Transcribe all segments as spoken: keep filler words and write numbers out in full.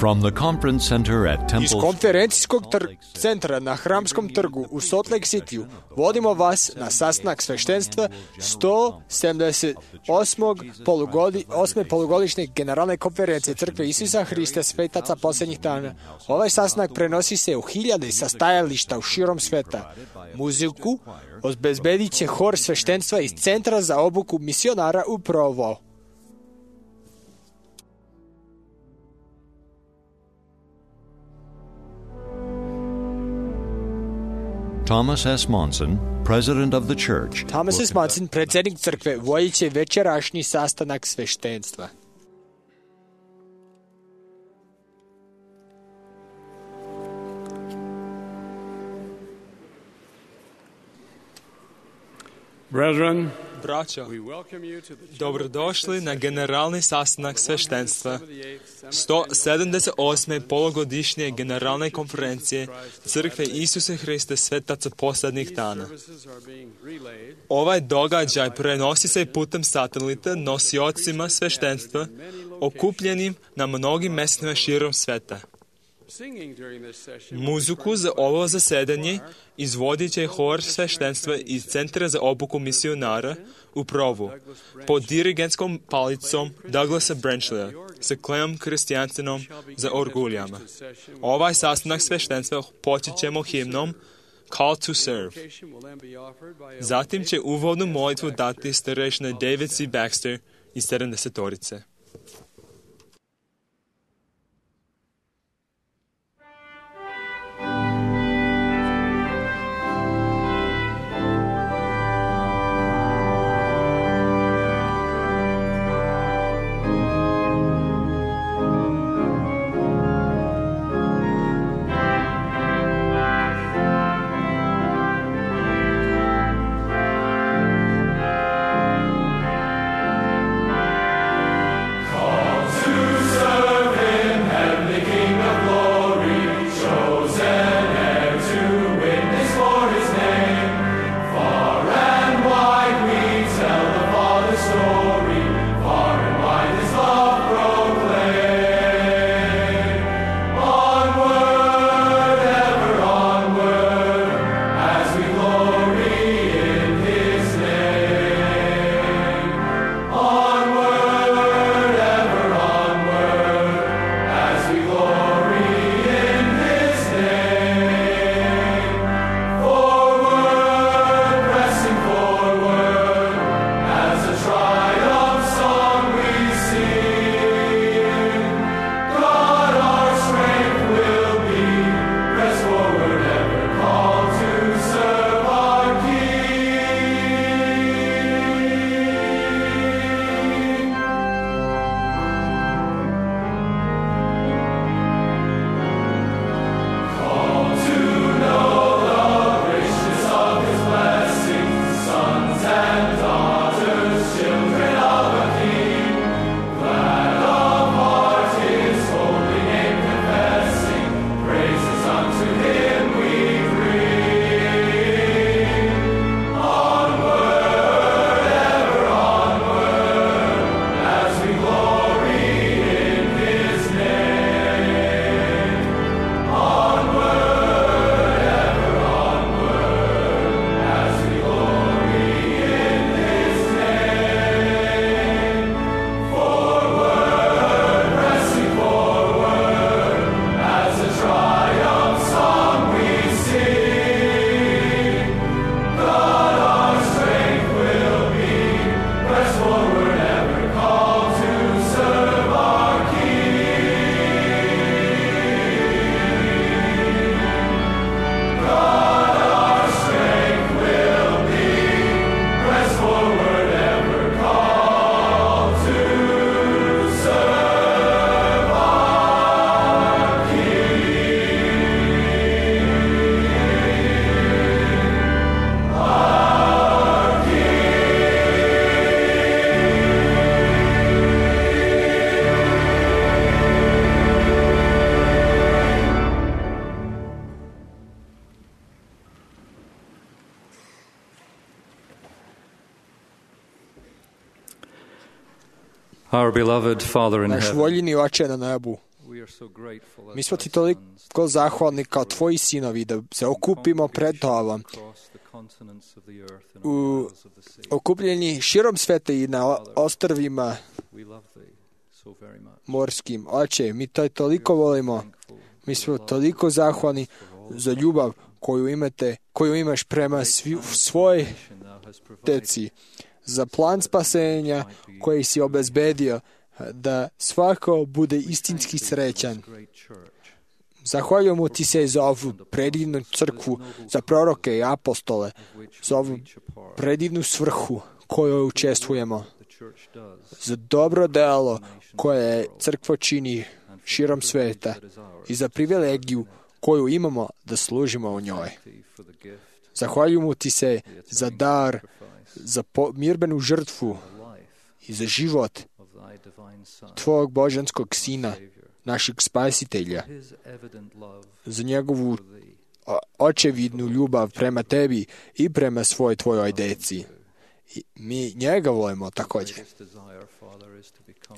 From the conference center at Temple Iz konferencijskog tr- centra na Hramskom trgu u Salt Lake Cityu vodimo vas na sastanak sveštenstva sto sedamdeset osme polugodi, osme polugodišnje generalne konferencije Crkve Isusa Hrista svetaca posljednjih dana. Ovaj sastanak prenosi se u hiljade sastajališta u širom sveta. Muziku obezbedit će hor sveštenstva iz Centra za obuku misionara u Provo. Thomas S. Monson, president of the church. Thomas S. Monson, predsjednik crkve, vodit će večerašnji sastanak sveštenstva. Brethren, Braćo, dobrodošli na generalni sastanak sveštenstva sto sedamdeset osme polugodišnje generalne konferencije Crkve Isusa Hrista svetaca posljednjih dana. Ovaj događaj prenosi se putem satelita nosiocima sveštenstva okupljenim na mnogim mjestima širom sveta. Muziku za ovo zasedanje izvodit će hor sveštenstva iz Centra za obuku misionara u Provu pod dirigentskom palicom Douglasa Branchleya sa Clem Kristijansenom za orguljama. Ovaj sastanak sveštenstva počet ćemo himnom Call to Serve. Zatim će uvodnu molitvu dati starešina David C. Baxter iz sedamdesetorice. Our beloved Father in Naš heaven, voljeni Oče na nebu, Mi smo ti toliko zahvalni kao tvoji sinovi da se okupimo pred tobom u okupljeni širom sveta i na ostrvima morskim. Oče, mi to toliko volimo. Mi smo toliko zahvalni za ljubav koju imate, koju imaš prema svi, svoj deci, za plan spasenja koji si obezbedio da svako bude istinski srećan. Zahvaljujemo ti se za ovu predivnu crkvu, za proroke i apostole, za ovu predivnu svrhu koju učestvujemo, za dobro delo koje crkva čini širom sveta i za privilegiju koju imamo da služimo u njoj. Zahvaljujemo ti se za dar, za mirbenu žrtvu i za život tvojeg božanskog sina, našeg spasitelja, za njegovu očevidnu ljubav prema tebi i prema svoj tvojoj deci. I mi njega volimo također.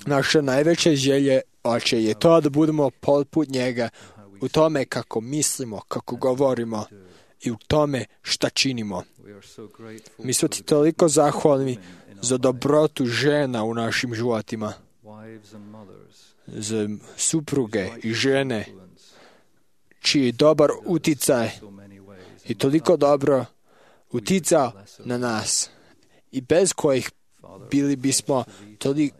Naša najveća želja, Oče, je to da budemo poput njega u tome kako mislimo, kako govorimo i u tome šta činimo. Mi smo ti toliko zahvalni za dobrotu žena u našim životima, za supruge i žene čiji dobar uticaj i toliko dobro uticao na nas i bez kojih bili bismo toliko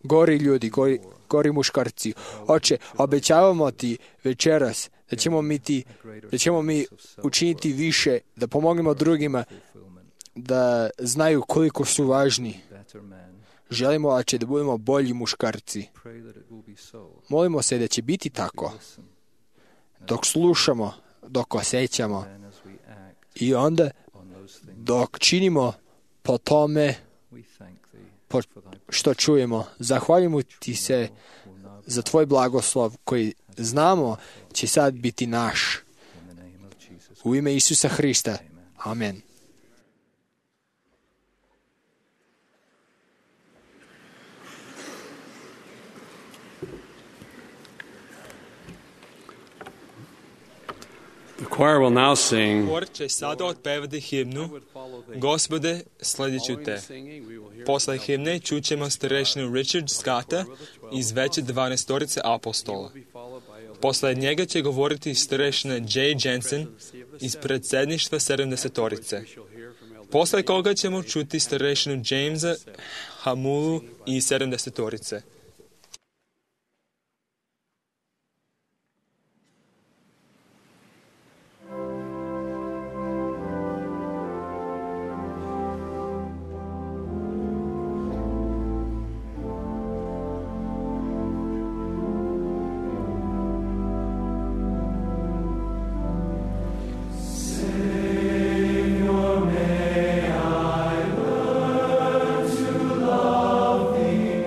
gori ljudi, gori, gori muškarci. Oče, obećavamo ti večeras da ćemo mi, ti, da ćemo mi učiniti više, da pomognemo drugima da znaju koliko su važni. Želimo, Oče, da budemo bolji muškarci. Molimo se da će biti tako. Dok slušamo, dok osjećamo i onda dok činimo po tome po što čujemo. Zahvaljujemo ti se za tvoj blagoslov koji znamo će sad biti naš. U ime Isusa Hrista. Amen. The choir will now sing. Hor će sada otpevati himnu Gospode, sljedeću te. Posle himne čućemo starešinu Richard Scotta iz veće dvanaestorice apostola. Posle njega će govoriti starešina Jay Jensen iz predsjedništva sedamdesetorice. Posle koga ćemo čuti starešinu Jamesa Hamulu iz sedamdesetorice. Love thee,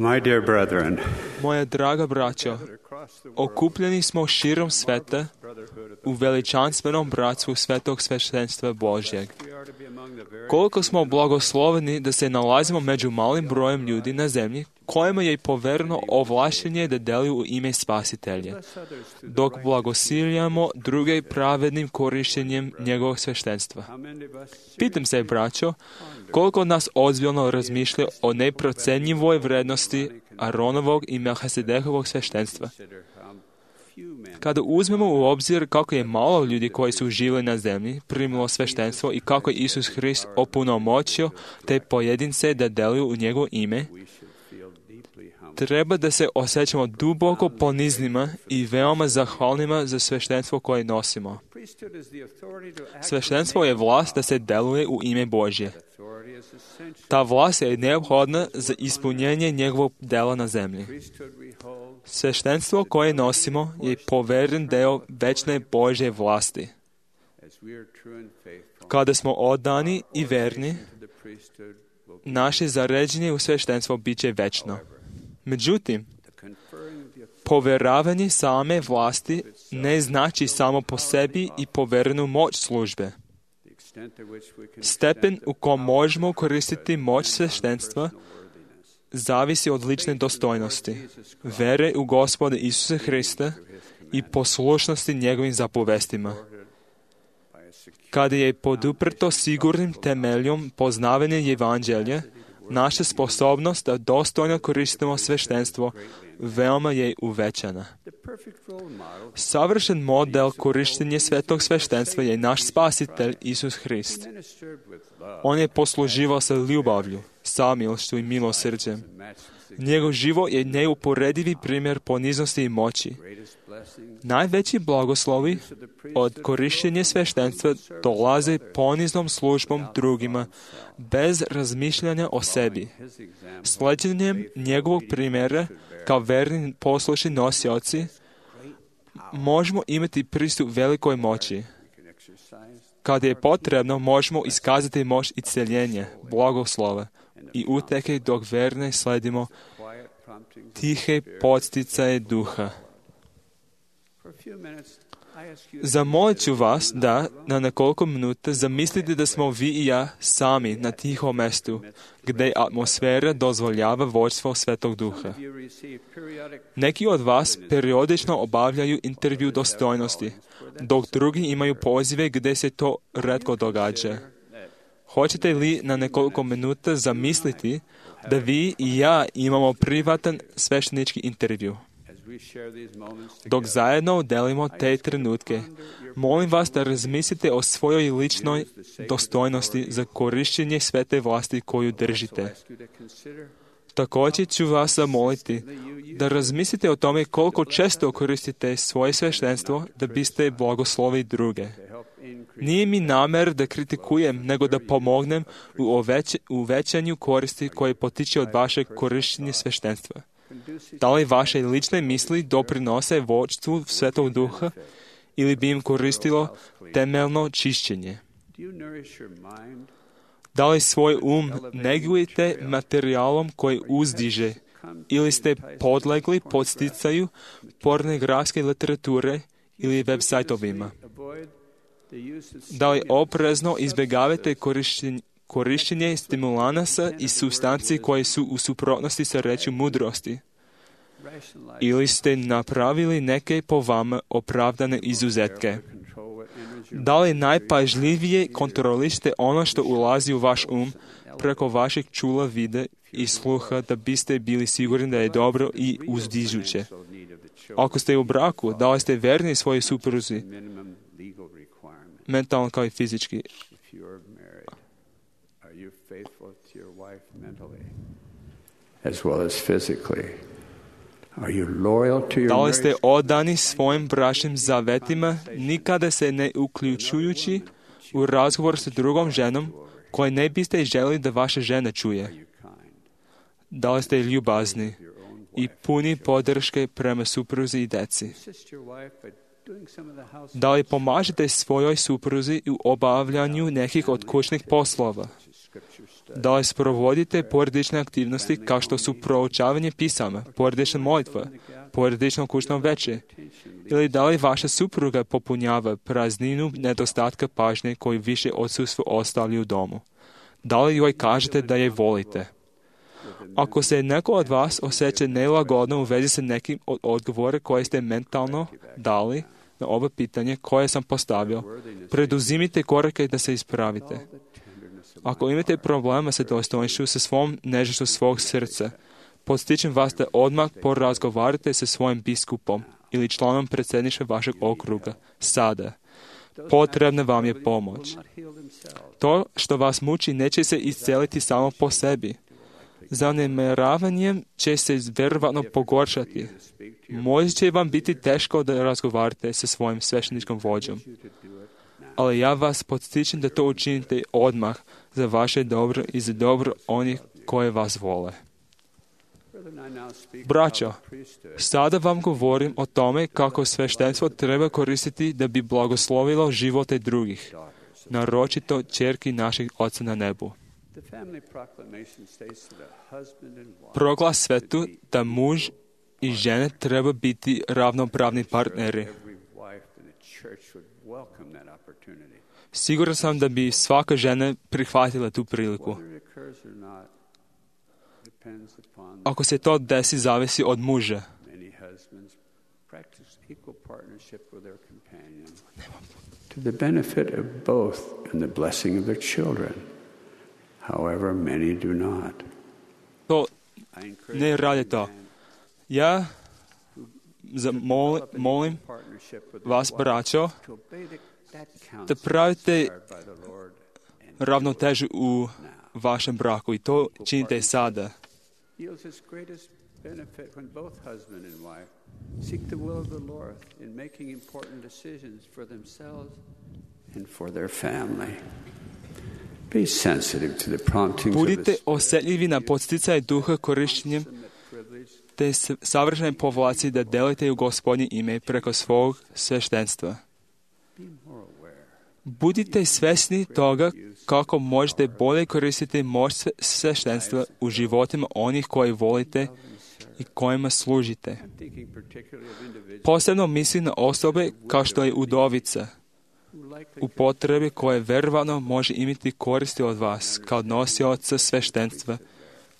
My dear brethren, Moja draga braćo, okupljeni smo širom sveta u veličanstvenom bratstvu svetog sveštenstva Božjeg. Koliko smo blagosloveni da se nalazimo među malim brojem ljudi na zemlji kojima je povereno ovlaštenje da deluju u ime Spasitelja, dok blagosiljamo druge pravednim korištenjem njegovog sveštenstva. Pitam se, braćo, koliko od nas ozbiljno razmišlja o neprocenjivoj vrednosti Aronovog i Melchisedekovog sveštenstva. Kada uzmemo u obzir kako je malo ljudi koji su živjeli na zemlji primilo sveštenstvo i kako je Isus Hrist opunomoćio te pojedince da deluju u njegovo ime, treba da se osjećamo duboko poniznima i veoma zahvalnima za sveštenstvo koje nosimo. Sveštenstvo je vlast da se deluje u ime Božje. Ta vlast je neophodna za ispunjenje njegovog dela na zemlji. Sveštenstvo koje nosimo je poveren deo večne Božje vlasti. Kada smo odani i verni, naše zaređenje u sveštenstvo bit će večno. Međutim, poveravanje same vlasti ne znači samo po sebi i poverenu moć službe. Stepen u kom možemo koristiti moć sveštenstva zavisi od lične dostojnosti, vere u Gospoda Isusa Hrista i poslušnosti njegovim zapovestima. Kada je poduprto sigurnim temeljom poznavanja Evanđelja, naša sposobnost da dostojno koristimo sveštenstvo veoma je uvećana. Savršen model korištenja svetog sveštenstva je naš Spasitelj Isus Hrist. On je posluživao sa ljubavlju, samilštvu i milosrđem. Njegov život je neuporedivi primjer poniznosti i moći. Najveći blagoslovi od korištenja sveštenstva dolaze poniznom službom drugima, bez razmišljanja o sebi. Sleđenjem njegovog primjera, kao verni poslušni nosioci, možemo imati pristup velikoj moći. Kada je potrebno, možemo iskazati moć i celjenje, blagoslova i uteke dok verne sledimo tihe podsticaje duha. Zamolit ću vas da na nekoliko minuta zamislite da smo vi i ja sami na tihom mestu, gdje atmosfera dozvoljava vođstvo Svetog Duha. Neki od vas periodično obavljaju intervju dostojnosti, dok drugi imaju pozive gdje se to retko događa. Hoćete li na nekoliko minuta zamisliti da vi i ja imamo privatan sveštenički intervju? Dok zajedno delimo te trenutke, molim vas da razmislite o svojoj ličnoj dostojnosti za korištenje svete vlasti koju držite. Također ću vas zamoliti da razmislite o tome koliko često koristite svoje sveštenstvo da biste blagoslovili druge. Nije mi namer da kritikujem, nego da pomognem u uvećanju koristi koje potiče od vašeg korištenja sveštenstva. Da li vaše lične misli doprinose vođstvu Svetog Duha ili bi im koristilo temeljno čišćenje? Da li svoj um negujete materijalom koji uzdiže ili ste podlegli podsticaju pornografske literature ili web sajtovima? Da li oprezno izbjegavate korištenje korištenje stimulanasa i supstanci koje su u suprotnosti sa rečju mudrosti? Ili ste napravili neke po vama opravdane izuzetke? Da li najpažljivije kontrolište ono što ulazi u vaš um preko vašeg čula, vida i sluha da biste bili sigurni da je dobro i uzdižuće? Ako ste u braku, da li ste verni svojoj supruzi, mentalno kao i fizički? Faithful to your wife mentally as well as physically? Are you loyal to your Da li ste marriage? odani svojim bračnim zavetima, nikada se ne uključujući u razgovor sa drugom ženom koje ne biste želi da vaša žena čuje? Da li ste ljubazni i puni podrške prema supruzi i deci? Da li pomažete svojoj supruzi u obavljanju nekih od kućnih poslova? Da li sprovodite porodične aktivnosti kao što su proučavanje pisama, porodična molitva, porodično kućno veče, ili da li vaša supruga popunjava prazninu nedostatka pažnje koju više odsustvo ostavlja u domu? Da li joj kažete da je volite? Ako se neko od vas osjeća nelagodno u vezi sa nekim od odgovora koje ste mentalno dali na ovo pitanje koje sam postavio, preduzimite korake da se ispravite. Ako imate problema sa dostojanstvom, sa svom nežnošću svog srca, podstičem vas da odmah porazgovarate sa svojim biskupom ili članom predsjedništva vašeg okruga. Sada. Potrebna vam je pomoć. To što vas muči neće se isceliti samo po sebi. Zanemeravanjem će se vjerovatno pogoršati. Možda će vam biti teško da razgovarate sa svojim svešteničkom vođom. Ali ja vas podstičem da to učinite odmah za vaše dobro i za dobro onih koje vas vole. Braćo, sada vam govorim o tome kako sveštenstvo treba koristiti da bi blagoslovilo živote drugih, naročito ćerki naših Oca na nebu. Proglas svetu da muž i žene treba biti ravnopravni partneri. Siguran sam da bi svaka žena prihvatila tu priliku. Ako se to desi, zavisi od muža. To the benefit of both and the blessing of their children. However, many do not. To ne radi to. Ja zamol, molim vas, braćo, da pravite ravnotežu u vašem braku i to činite sada. Yields its greatest benefit when both husband and wife seek the will of the Lord in making important decisions for themselves and for their family. Be sensitive to the promptings of Budite the osjetljivi na podsticaj duha korištenjem te savršene povlaci da delite u Gospodnje ime preko svog sveštenstva. Budite svjesni toga kako možete bolje koristiti moć sveštenstva u životima onih koji volite i kojima služite. Posebno mislim na osobe kao što je udovica, u potrebi koje verovatno može imati koristi od vas kao nosioca sveštenstva,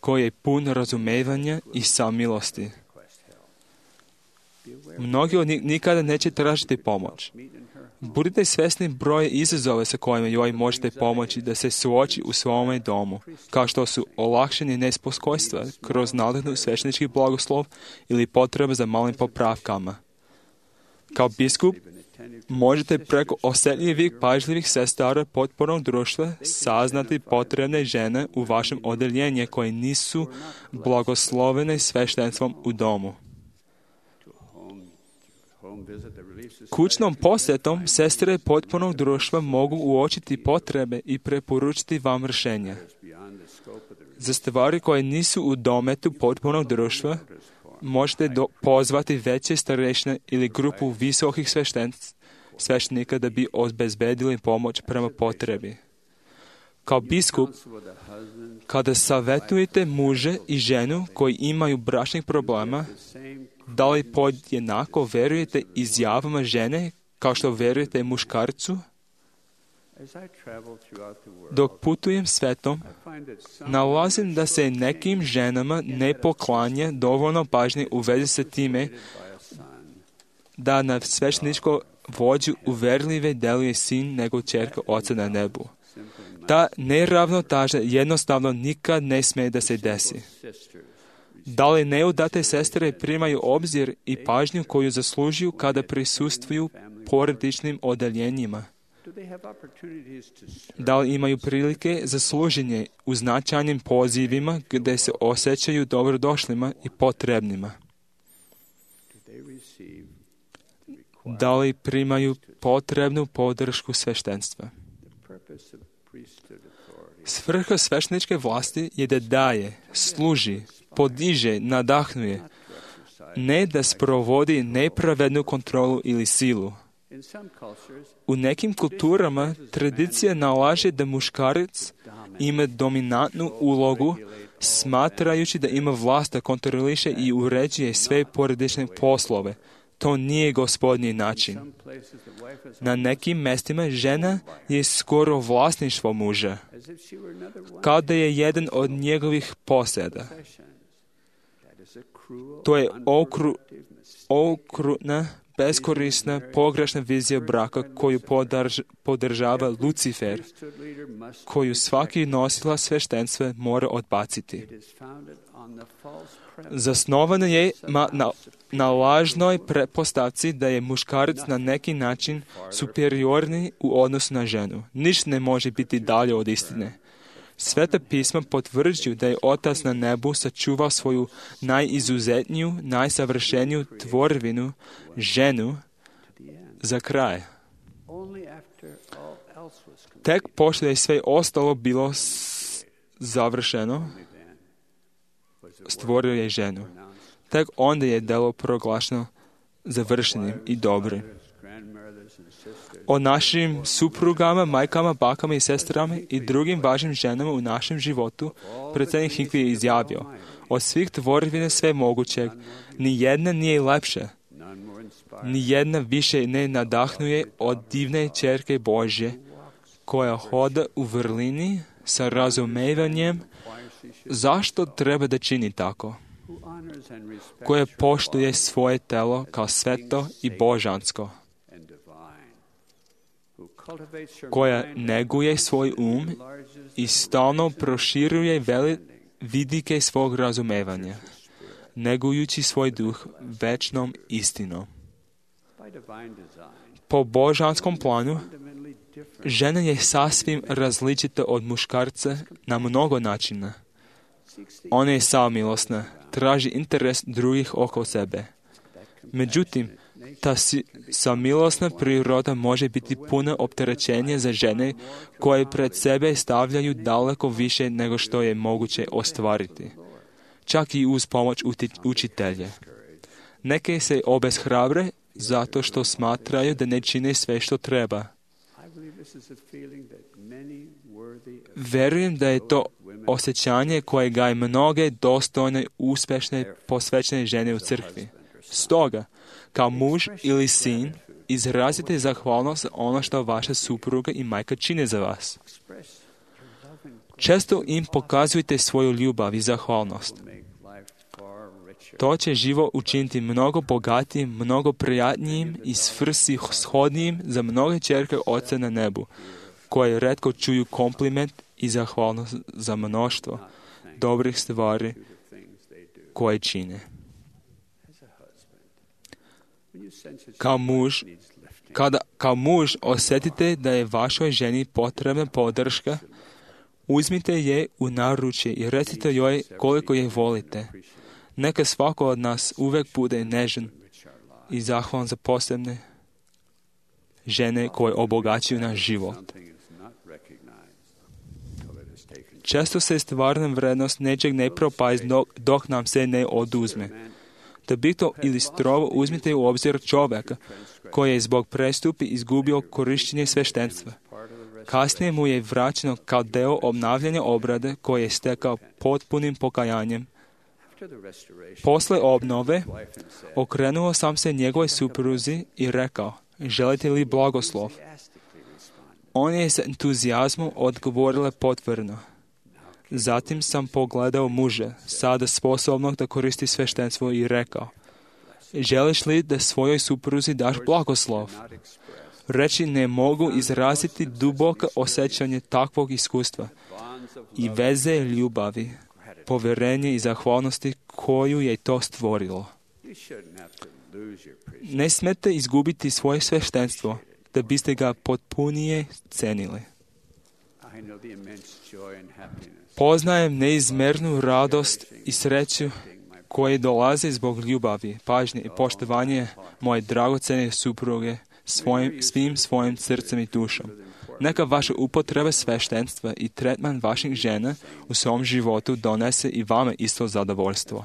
koji je pun razumevanja i samilosti. Mnogi od njih nikada neće tražiti pomoć. Budite svjesni broja izazova sa kojima joj možete pomoći da se suoči u svome domu, kao što su olakšanje nespokojstva kroz nadahnu sveštenički blagoslov ili potreba za malim popravkama. Kao biskup možete preko osjetljivih, pažljivih sestara potpornog društva saznati potrebne žene u vašem odeljenju koje nisu blagoslovene sveštenstvom u domu. Kućnom posjetom sestre potpornog društva mogu uočiti potrebe i preporučiti vam rješenja. Za stvari koje nisu u dometu potpornog društva, možete do, pozvati veće starešine ili grupu visokih sveštenika da bi obezbedili pomoć prema potrebi. Kao biskup, kada savjetujete muže i ženu koji imaju bračnih problema, da li podjednako verujete izjavama žene kao što verujete muškarcu? Dok putujem svetom, nalazim da se nekim ženama ne poklanja dovoljno pažnje u vezi sa time da na svešteničko vođu uverljive deluje sin nego ćerka Oca na nebu. Ta neravnoteža jednostavno nikad ne smije da se desi. Da li neudate sestre primaju obzir i pažnju koju zaslužuju kada prisustvuju porodičnim odeljenjima? Da li imaju prilike za služenje u značajnim pozivima gdje se osjećaju dobrodošlima i potrebnima? Da li primaju potrebnu podršku sveštenstva? Svrha svešteničke vlasti je da daje, služi, podiže, nadahnuje, ne da sprovodi nepravednu kontrolu ili silu. U nekim kulturama tradicija nalaže da muškarac ima dominantnu ulogu, smatrajući da ima vlast da kontroliše i uređuje sve porodične poslove. To nije Gospodnji način. Na nekim mjestima žena je skoro vlasništvo muža, kao da je jedan od njegovih posjeda. To je okru, okrutna, beskorisna, pogrešna vizija braka koju podrž, podržava Lucifer, koju svaki nosilac sveštenstva mora odbaciti. Zasnovana je ma, na, na lažnoj pretpostavci da je muškarac na neki način superiorni u odnosu na ženu. Ništa ne može biti dalje od istine. Sveta pisma potvrđuju da je Otac na nebu sačuvao svoju najizuzetniju, najsavršeniju tvorevinu, ženu, za kraj. Tek pošto je sve ostalo bilo završeno, stvorio je ženu. Tek onda je delo proglašeno završenim i dobrim. O našim suprugama, majkama, bakama i sestrama i drugim važnim ženama u našem životu predsjednik Hinckley je izjavio: od svih tvorevina sve mogućeg, ni jedna nije lepša, ni jedna više ne nadahnuje od divne ćerke Božje, koja hoda u vrlini sa razumevanjem zašto treba da čini tako, koja poštuje svoje telo kao sveto i božansko, koja neguje svoj um i stalno proširuje veli vidike svog razumevanja, negujući svoj duh večnom istinom. Po božanskom planu, žena je sasvim različita od muškarca na mnogo načina. Ona je samilosna, traži interes drugih oko sebe. Međutim, ta samilosna priroda može biti puna opterećenja za žene koje pred sebe stavljaju daleko više nego što je moguće ostvariti, čak i uz pomoć učitelja. Neke se obeshrabre zato što smatraju da ne čine sve što treba. Verujem da je to osjećanje koje gaje mnoge dostojne, uspješne, posvećene žene u crkvi. Stoga, kao muž ili sin, izrazite zahvalnost za ono što vaša supruga i majka čine za vas. Često im pokazujte svoju ljubav i zahvalnost. To će život učiniti mnogo bogatijim, mnogo prijatnijim i svrsishodnijim za mnoge ćerke Oca na nebu, koje retko čuju kompliment i zahvalnost za mnoštvo dobrih stvari koje čine. Kao muž, kada kao muž osjetite da je vašoj ženi potrebna podrška, uzmite je u naručje i recite joj koliko je volite. Neka svako od nas uvijek bude nežan i zahvalan za posebne žene koje obogaćuju naš život. Često se stvarna vrednost nečeg ne propazi dok nam se ne oduzme. Da bi to ilustrovao, uzmite u obzir čovjeka koji je zbog prestupi izgubio korištenje sveštenstva. Kasnije mu je vraćeno kao deo obnavljanja obrade koje je stekao potpunim pokajanjem. Posle obnove okrenuo sam se njegovoj supruzi i rekao: želite li blagoslov? On je s entuzijazmom odgovorila potvrdno. Zatim sam pogledao muža, sada sposobnog da koristi sveštenstvo, i rekao: želiš li da svojoj supruzi daš blagoslov? Reći ne mogu izraziti duboko osjećanje takvog iskustva i veze ljubavi, povjerenje i zahvalnosti koju je to stvorilo. Ne smete izgubiti svoje sveštenstvo da biste ga potpunije cenili. Poznajem neizmernu radost i sreću koje dolaze zbog ljubavi, pažnje i poštovanja moje dragocene supruge svojim, svim svojim srcem i dušom. Neka vaša upotreba sveštenstva i tretman vaših žena u svom životu donese i vama isto zadovoljstvo.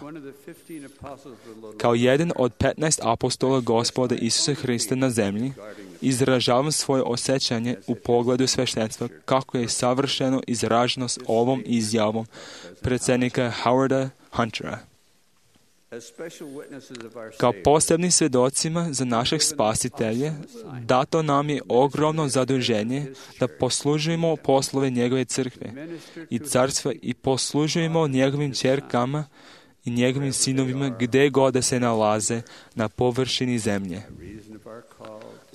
Kao jedan od petnaest apostola Gospoda Isusa Hrista na zemlji, izražavam svoje osjećanje u pogledu sveštenstva kako je savršeno izraženo s ovom izjavom predsjednika Howarda Huntera. Kao posebni svjedocima za našeg spasitelja, dato nam je ogromno zaduženje da poslužujemo poslove njegove crkve i carstva i poslužujemo njegovim ćerkama i njegovim sinovima gdje god da se nalaze na površini zemlje.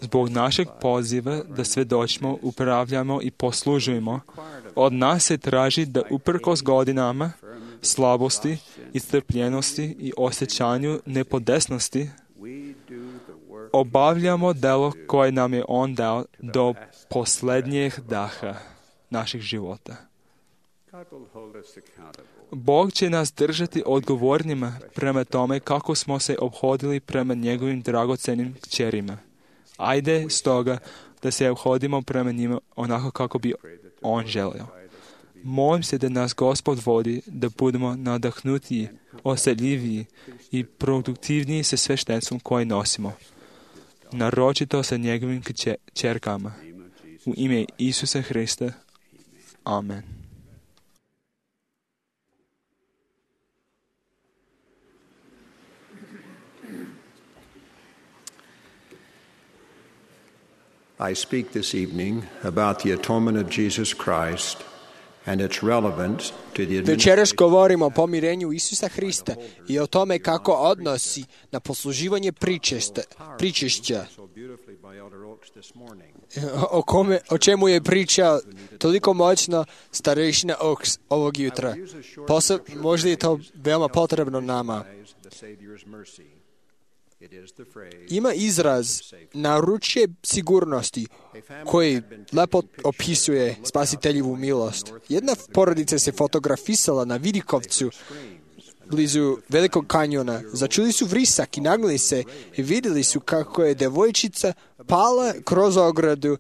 Zbog našeg poziva da svjedočimo, upravljamo i poslužujemo, od nas se traži da uprkos godinama, slabosti, istrpljenosti i osjećanju nepodesnosti, obavljamo delo koje nam je On dao do posljednjeg daha naših života. Bog će nas držati odgovornima prema tome kako smo se ophodili prema njegovim dragocenim kćerima. Ajde stoga da se ophodimo prema njima onako kako bi On želio. Molim se da nas Gospod vodi da budemo nadahnutiji, osjetljiviji i produktivniji sa sveštenstvom koje nosimo, naročito sa njegovim kćerkama. U ime Isusa Hrista. Amen. I speak this evening about the atonement of Jesus Christ and its relevance to the Večeras govorimo o pomirenju Isusa Hrista i o tome kako odnosi na posluživanje pričešća, pričešća o, kome, o čemu je pričao toliko moćno starešina Oaks ovog jutra. Poseb, možda je to veoma potrebno nama. Ima izraz naručje sigurnosti koji lepo opisuje spasiteljivu milost. Jedna porodica se fotografisala na Vidikovcu blizu Velikog kanjona. Začuli su vrisak i nagnuli se i vidjeli su kako je devojčica pala kroz ogradu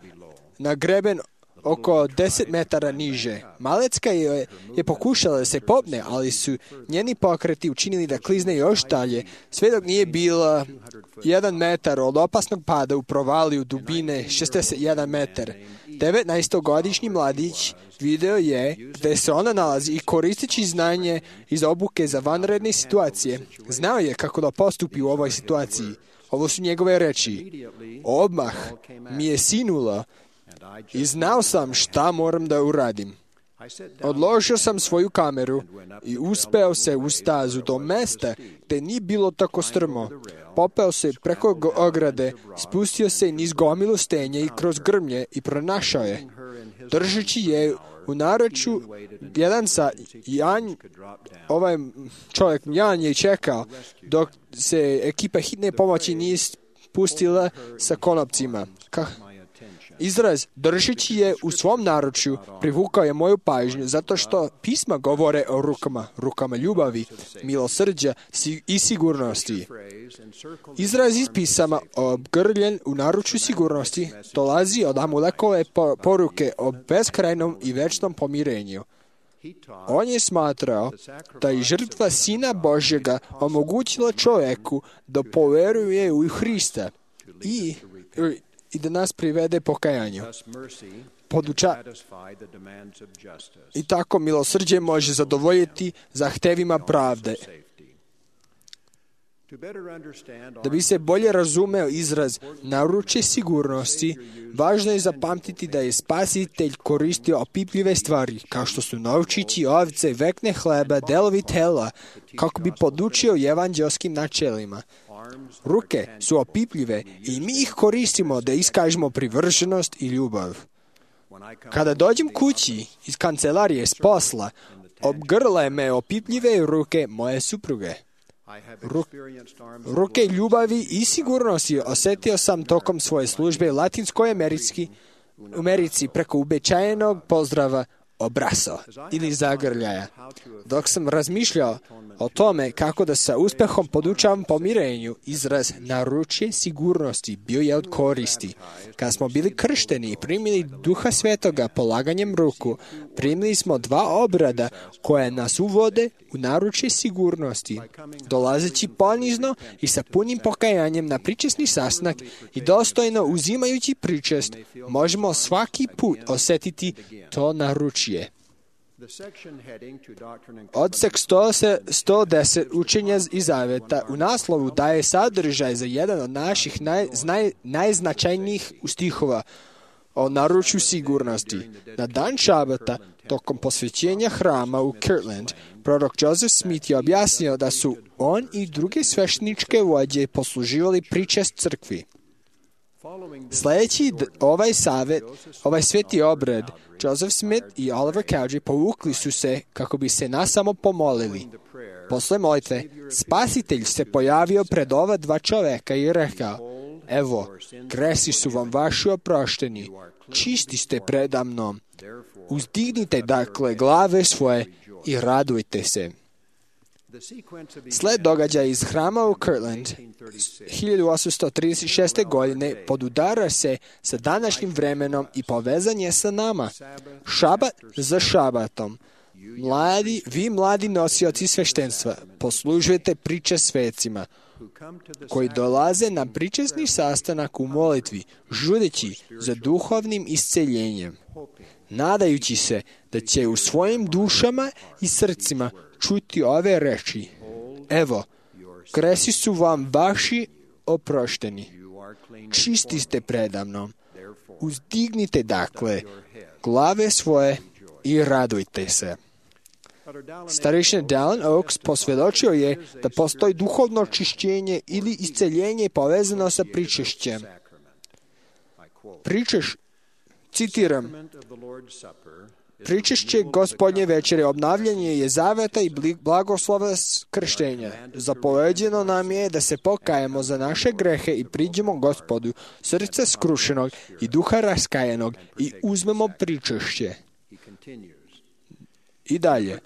na greben oko deset metara niže. Malecka je, je pokušala da se popne, ali su njeni pokreti učinili da klizne još dalje, sve dok nije bila jedan metar od opasnog pada u provaliju dubine šezdeset jedan metar. devetnaestogodišnji mladić video je gde se ona nalazi i koristeći znanje iz obuke za vanredne situacije, znao je kako da postupi u ovoj situaciji. Ovo su njegove reči. Odmah mi je sinulo i znao sam šta moram da uradim. Odložio sam svoju kameru i uspeo se u stazu do mesta gde nije bilo tako strmo. Popeo se preko ograde, spustio se niz gomilu stenja i kroz grmlje i pronašao je. Držeći je u naručju, jedan sa Jan, ovaj čovjek Jan je čekao dok se ekipa hitne pomoći nije spustila sa konopcima. Ka- Izraz držeći je u svom naručju privukao je moju pažnju zato što pisma govore o rukama, rukama ljubavi, milosrđa i sigurnosti. Izraz iz pisama obgrljen u naručju sigurnosti dolazi od Amulekove poruke o beskrajnom i večnom pomirenju. On je smatrao da je žrtva Sina Božjega omogućila čovjeku da poveruje u Hrista i i da nas privede pokajanju. Poduča... I tako milosrđe može zadovoljiti zahtevima pravde. Da bi se bolje razumeo izraz naručje sigurnosti, važno je zapamtiti da je Spasitelj koristio opipljive stvari, kao što su novčići, ovce, vekne hleba, delovi tela, kako bi podučio evanđelskim načelima. Ruke su opipljive i mi ih koristimo da iskažemo privrženost i ljubav. Kada dođem kući iz kancelarije s posla, obgrle me opipljive ruke moje supruge. Ru- ruke ljubavi i sigurnosti osjetio sam tokom svoje službe u Latinskoj Americi, Americi preko uobičajenog pozdrava obraso ili zagrljaja. Dok sam razmišljao o tome kako da sa uspehom podučavam pomirenju, izraz naručje sigurnosti bio je od koristi. Kad smo bili kršteni i primili Duha Svetoga polaganjem ruku, primili smo dva obrada koje nas uvode u naručje sigurnosti. Dolazeći ponizno i sa punim pokajanjem na pričesni sastanak i dostojno uzimajući pričest, možemo svaki put osjetiti to naručje. Odsek sto deset učenja i zaveta u naslovu daje sadržaj za jedan od naših naj, naj, najznačajnijih stihova o naručju sigurnosti. Na dan šabata, tokom posvećenja hrama u Kirtland, prorok Joseph Smith je objasnio da su on i druge svešteničke vođe posluživali pričest crkvi. Sljedeći ovaj savjet, ovaj sveti obred, Joseph Smith i Oliver Cowdery povukli su se kako bi se nas samo pomolili. Posle molitve, Spasitelj se pojavio pred ova dva čoveka i rekao: evo, gresi su vam vaši oprošteni, čisti ste predamnom. Uzdignite dakle glave svoje i radujte se. Sled događaja iz hrama u Kirtland hiljadu osamsto trideset šeste. godine podudara se sa današnjim vremenom i povezan je sa nama. Šabat za šabatom. Mladi, vi mladi nosioci sveštenstva, poslužujete priče svecima, koji dolaze na pričesni sastanak u molitvi, žudeći za duhovnim isceljenjem, nadajući se da će u svojim dušama i srcima čuti ove reči: evo, gresi su vam vaši oprošteni, čisti ste predamnom. Uzdignite dakle glave svoje i radujte se. Starešina Dallin Oaks posvjedočio je da postoji duhovno očišćenje ili isceljenje povezano sa pričešćem. Pričeš, citiram, pričešće Gospodnje večere obnavljanje je zaveta i blagoslova krštenja. Zapoveđeno nam je da se pokajemo za naše grehe i priđemo Gospodu, srca skrušenog i duha raskajenog, i uzmemo pričešće. I dalje,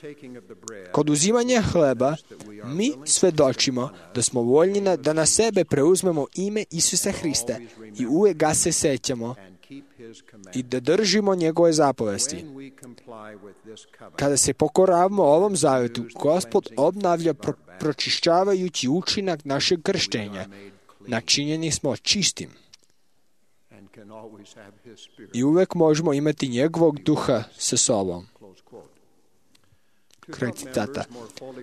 kod uzimanja hleba, mi svedočimo da smo voljni da na sebe preuzmemo ime Isusa Hrista i uvijek ga se sećamo i da držimo njegove zapovesti. Kada se pokoravamo ovom zavetu, Gospod obnavlja pro- pročišćavajući učinak našeg krštenja. Načinjeni smo čistim. I uvijek možemo imati njegovog duha sa sobom. Kraj citata.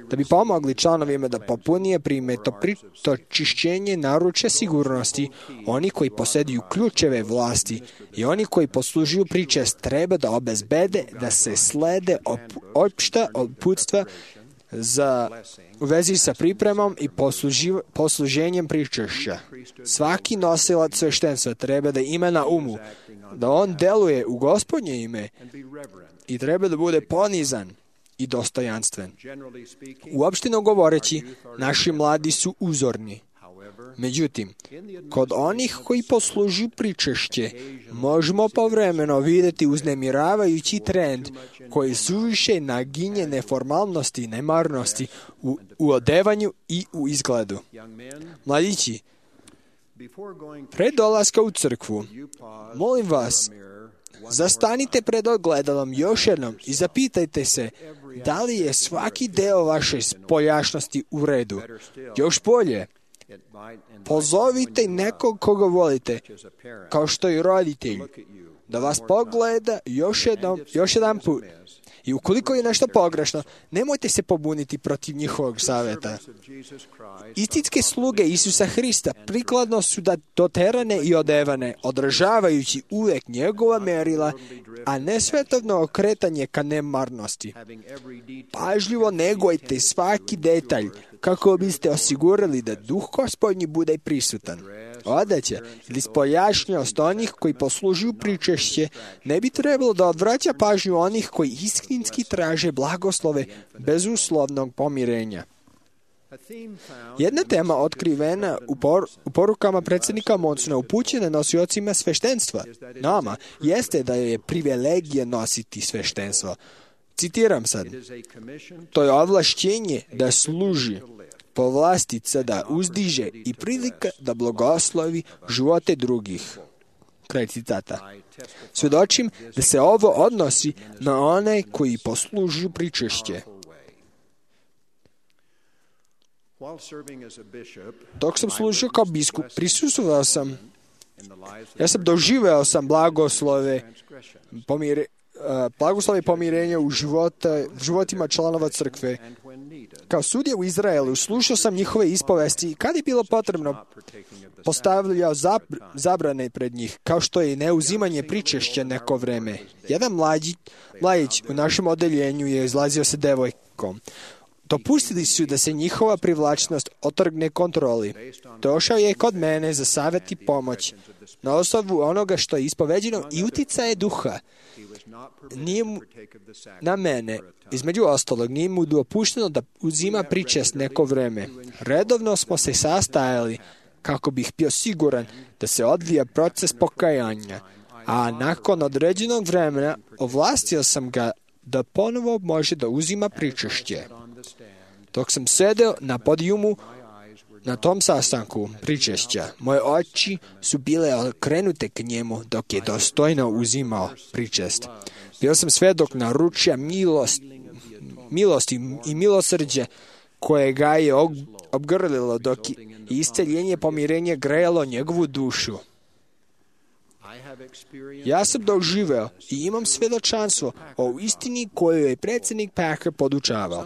Da bi pomogli članovima da popunije prime to, pri, to čišćenje naručja sigurnosti, oni koji posjeduju ključeve vlasti i oni koji poslužuju pričest treba da obezbede da se slede op, opšta uputstva za, u vezi sa pripremom i posluživ, posluženjem pričešća. Svaki nosilac sveštenstva treba da ima na umu da on deluje u Gospodnje ime i treba da bude ponizan i dostojanstven. Uopšteno govoreći, naši mladi su uzorni. Međutim, kod onih koji poslužuju pričešće, možemo povremeno vidjeti uznemiravajući trend koji suviše naginje neformalnosti i nemarnosti u, u odevanju i u izgledu. Mladići, pre dolaska u crkvu, molim vas, zastanite pred ogledalom još jednom i zapitajte se da li je svaki deo vaše spoljašnosti u redu. Još bolje, pozovite nekog koga volite, kao što i roditelj, da vas pogleda još jednom, još jedan put. I ukoliko je nešto pogrešno, nemojte se pobuniti protiv njihovog savjeta. Istinske sluge Isusa Hrista prikladno su da doterane i odevane, održavajući uvijek njegova merila, a ne svetovno okretanje ka nemarnosti. Pažljivo negujte svaki detalj, kako biste osigurali da duh Gospodnji bude prisutan. Odeća ili spoljašnjost onih koji poslužuju pričešće ne bi trebalo da odvraća pažnju onih koji istinski traže blagoslove bezuslovnog pomirenja. Jedna tema otkrivena u, por, u porukama predsjednika Monsona upućena nosiocima sveštenstva, nama, jeste da je privilegija nositi sveštenstvo. Citiram sad. To je ovlašćenje da služi, povlastica da uzdiže i prilika da blagoslovi živote drugih. Kraj citata. Svjedočim da se ovo odnosi na one koji poslužuju pričešće. Dok sam služio kao biskup, prisustvovao sam, ja sam doživeo sam blagoslove, pomire, uh, blagoslove pomirenja u života, životima članova crkve. Kao sudija u Izraelu slušao sam njihove ispovesti i kad je bilo potrebno postavljao zabrane pred njih, kao što je neuzimanje pričešća neko vreme. Jedan mlađi, mladić u našem odeljenju je izlazio sa devojkom. Dopustili su da se njihova privlačnost otrgne kontroli. Došao je kod mene za savjet i pomoć na osnovu onoga što je ispoveđeno i uticaje duha. Nije mu, na mene, između ostalog, nije mu dopušteno da uzima pričest neko vreme. Redovno smo se sastajali kako bih bio siguran da se odvija proces pokajanja, a nakon određenog vremena ovlastio sam ga da ponovo može da uzima pričešće. Dok sam sedeo na podijumu na tom sastanku pričešća, moje oči su bile okrenute k njemu dok je dostojno uzimao pričest. Bio sam svedok naručja milost, milosti i milosrđe koje ga je obgrlilo dok je isceljenje pomirenje grejalo njegovu dušu. Ja sam doživeo i imam svjedočanstvo o istini koju je predsjednik Packer podučavao.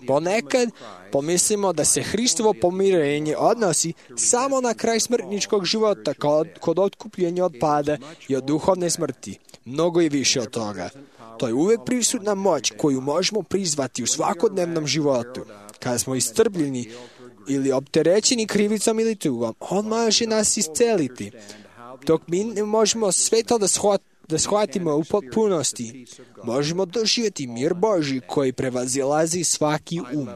Ponekad pomislimo da se Hristovo pomirenje odnosi samo na kraj smrtničkog života kod, kod otkupljenja od pada i od duhovne smrti. Mnogo je više od toga. To je uvijek prisutna moć koju možemo prizvati u svakodnevnom životu. Kada smo iscrpljeni ili opterećeni krivicom ili tugom, on može nas isceliti. Dok mi ne možemo sve to da, shvat, da shvatimo u potpunosti, možemo doživjeti mir Božji koji prevazilazi svaki um.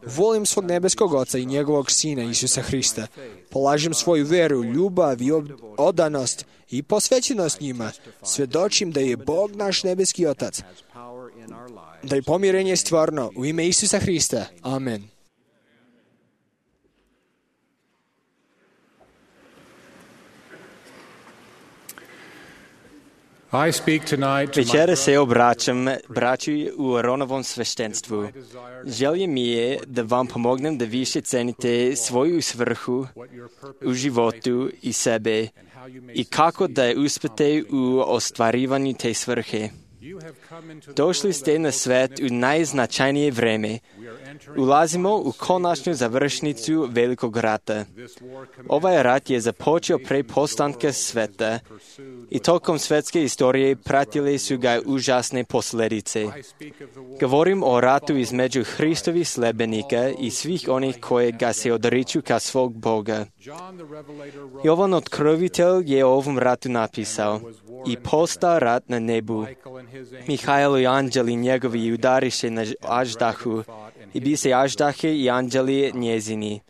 Volim svog nebeskog Oca i njegovog Sina Isusa Hrista. Polažem svoju veru, ljubav i odanost i posvećenost njima. Svjedočim da je Bog naš nebeski Otac. Da je pomirenje stvarno u ime Isusa Hrista. Amen. Večera se obraćam braću u Ronovom sveštenstvu. Želje mi je da vam pomognem da više cenite svoju svrhu u životu i sebe i kako da uspete u ostvarivanju te svrhe. Došli ste na svet u najznačajnije vreme. Ulazimo u konačnu završnicu Velikog rata. Ovaj rat je započeo pre postanka sveta i tokom svetske istorije pratile su ga užasne posljedice. Govorim o ratu između Hristovih sledbenika i svih onih koje ga se odriču ka svog Boga. Jovan Otkrovitelj je o ovom ratu napisao: i posta rat na nebu. Mihajlo i anđeli njegovi udariše na aždahu, i bi se aždahe i anđeli njezini.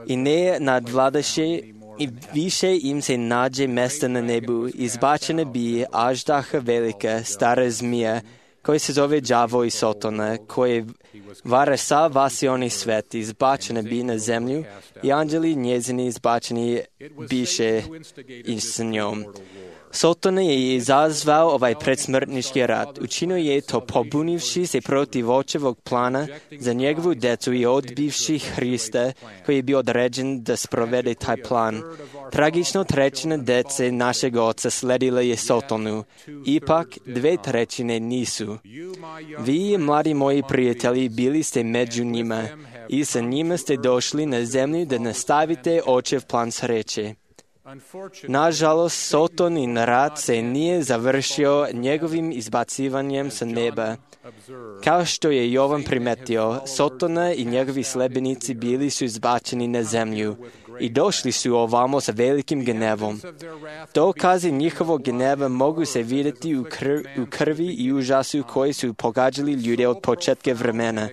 I ne nadvladaše, i više im se nađe mesta na nebu. Izbačena bi aždaha velika, stara zmija, koji se zove đavo i Sotona, koji vara sav vasioni svet, izbačena bi na zemlju, i anđeli njezini izbačeni biše i s njom. Sotona je izazvao ovaj predsmrtnički rat. Učinio je to pobunivši se protiv očevog plana za njegovu decu i odbivši Hrista, koji je bio određen da sprovede taj plan. Tragično trećina dece našeg Oca sledila je Sotonu, ipak dve trećine nisu. Vi, mladi moji prijatelji, bili ste među njima i sa njima ste došli na zemlju da nastavite Očev plan sreće. Nažalost, Sotonin rat se nije završio njegovim izbacivanjem sa neba. Kao što je Jovan primetio, Sotona i njegovi sledbenici bili su izbačeni na zemlju i došli su ovamo sa velikim gnevom. Dokazi njihovog gneva mogu se vidjeti u, krv, u krvi i užasu koji su pogađali ljude od početka vremena.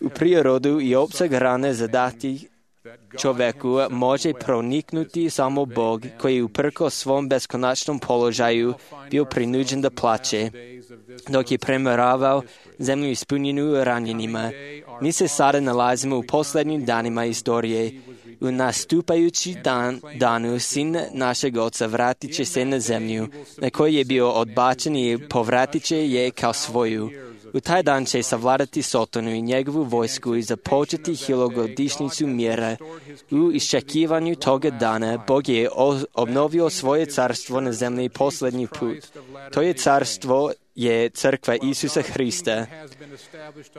U prirodu i opseg rane zadati čoveku može proniknuti samo Bog, koji uprkos svom beskonačnom položaju bio prinuđen da plaće, dok je premaravao zemlju ispunjenu ranjenima. Mi se sada nalazimo u posljednjim danima istorije. U nastupajući dan, danu sin našeg oca vratit će se na zemlju, na kojoj je bio odbačen i povratit će je kao svoju. U taj dan će savladati Sotonu i njegovu vojsku i započeti hilogodišnjicu mjera. U iščekivanju toga dana Bog je obnovio svoje carstvo na zemlji posljednji put. To je carstvo je crkva Isusa Hrista.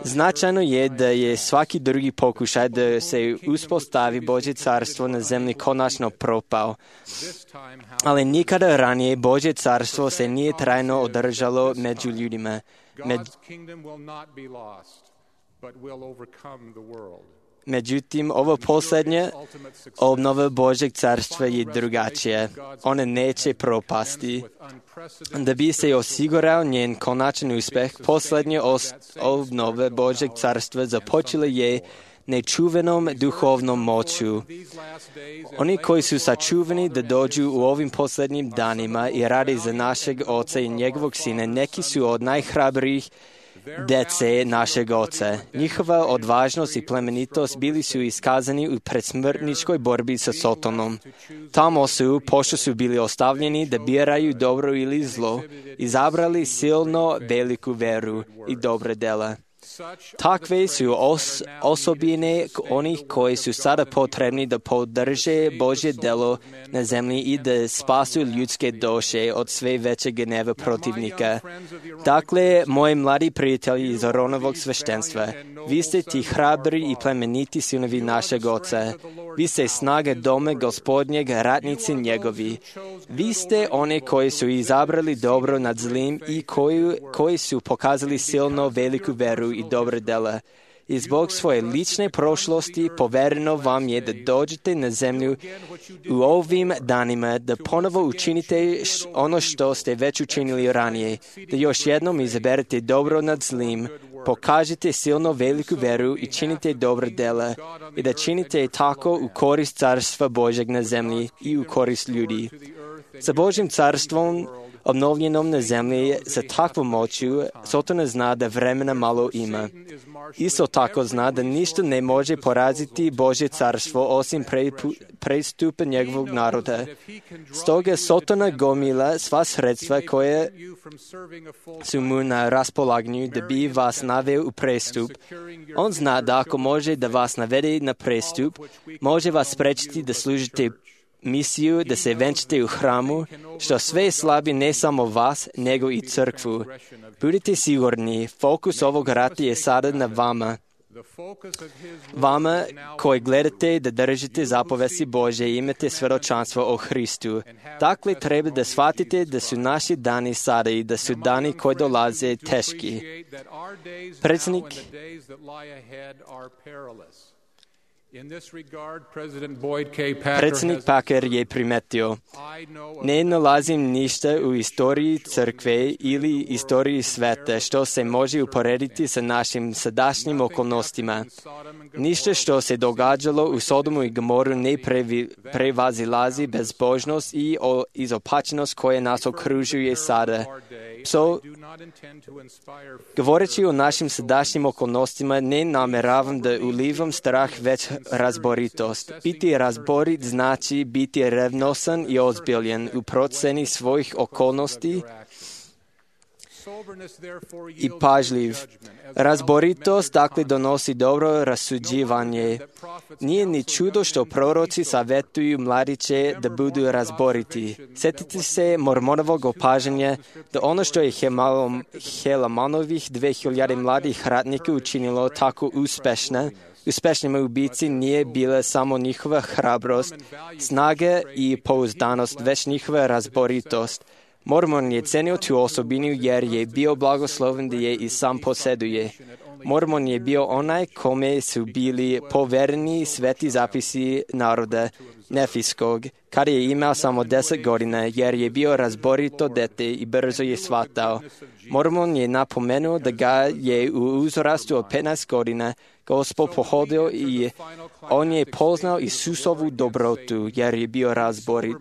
Značajno je da je svaki drugi pokušaj da se uspostavi Božje carstvo na zemlji konačno propao. Ali nikada ranije Božje carstvo se nije trajno održalo među ljudima. Med... Međutim, ovo posljednje obnova Božjeg carstva je drugačija. Ona neće propasti. Da bi se osigurao njen konačan uspjeh, posljednje obnove Božjeg carstva započela je nečuvenom duhovnom moću. Oni koji su sačuvani da dođu u ovim posljednjim danima i radi za našeg Oca i njegovog Sina, neki su od najhrabrijih dece našeg Oca. Njihova odvažnost i plemenitost bili su iskazani u predsmrtničkoj borbi sa Sotonom. Tamo su, pošto su bili ostavljeni da biraju dobro ili zlo, izabrali silno veliku veru i dobre dela. Takve su os, osobine onih koji su sada potrebni da podrže Božje delo na zemlji i da spasu ljudske duše od sve većeg gneva protivnika. Dakle, moji mladi prijatelji iz Aronovog sveštenstva, vi ste ti hrabri i plemeniti sinovi našeg Oca. Vi ste snaga doma Gospodnjeg, ratnici njegovi. Vi ste one koji su izabrali dobro nad zlim i koji, koji su pokazali silno veliku veru i dobre dela. I zbog svoje lične prošlosti povereno vam je da dođete na zemlju u ovim danima, da ponovo učinite ono što ste već učinili ranije, da još jednom izaberete dobro nad zlim, pokažete silno veliku veru i činite dobre dela i da činite tako u korist carstva Božeg na zemlji i u korist ljudi. Sa Božjim carstvom obnovljenom na zemlji sa takvom moću, Sotona zna da vremena malo ima. Isto tako zna da ništa ne može poraziti Božje carstvo osim prestupa njegovog naroda. Stoga Sotona gomila sva sredstva koje su mu na raspolaganju da bi vas naveo u prestup. On zna da ako može da vas navede na prestup, može vas sprečiti da služite misiju, da se venčite u hramu, što sve slabi ne samo vas, nego i crkvu. Budite sigurni, fokus ovog rata je sada na vama. Vama koji gledate da držite zapovesti Božje i imate svjedočanstvo o Hristu. Dakle, treba da shvatite da su naši dani sada i da su dani koji dolaze teški. Predsjednik Predsjednik Packer je primetio: ne nalazim ništa u istoriji crkve ili istoriji sveta što se može uporediti sa našim sadašnjim okolnostima. Ništa što se događalo u Sodomu i Gomoru ne previ, prevazilazi bezbožnost i o, izopačenost koje nas okružuje sada. So, govoreći o našim sadašnjim okolnostima, ne nameravam da ulivam strah, već razboritost. Biti razborit znači biti revnosan i ozbiljen u proceni svojih okolnosti i pažljiv. Razboritost dakle donosi dobro rasuđivanje. Nije ni čudo što proroci savjetuju mladiće da budu razboriti. Sjetite se Mormonovog opažanja da ono što je Helamanovih dve hiljade mladih ratnika učinilo tako uspešna, uspešnima ubici nije bila samo njihova hrabrost, snaga i pouzdanost, već njihova razboritost. Mormon je cenio tu osobinu jer je bio blagosloven da je i sam posjeduje. Mormon je bio onaj kome su bili povereni sveti zapisi naroda nefijskog, kada je imao samo deset godina, jer je bio razborito dete i brzo je shvatao. Mormon je napomenuo da ga je u uzrastu od petnaest godina Gospod pohodio i on je poznao Isusovu dobrotu, jer je bio razborit.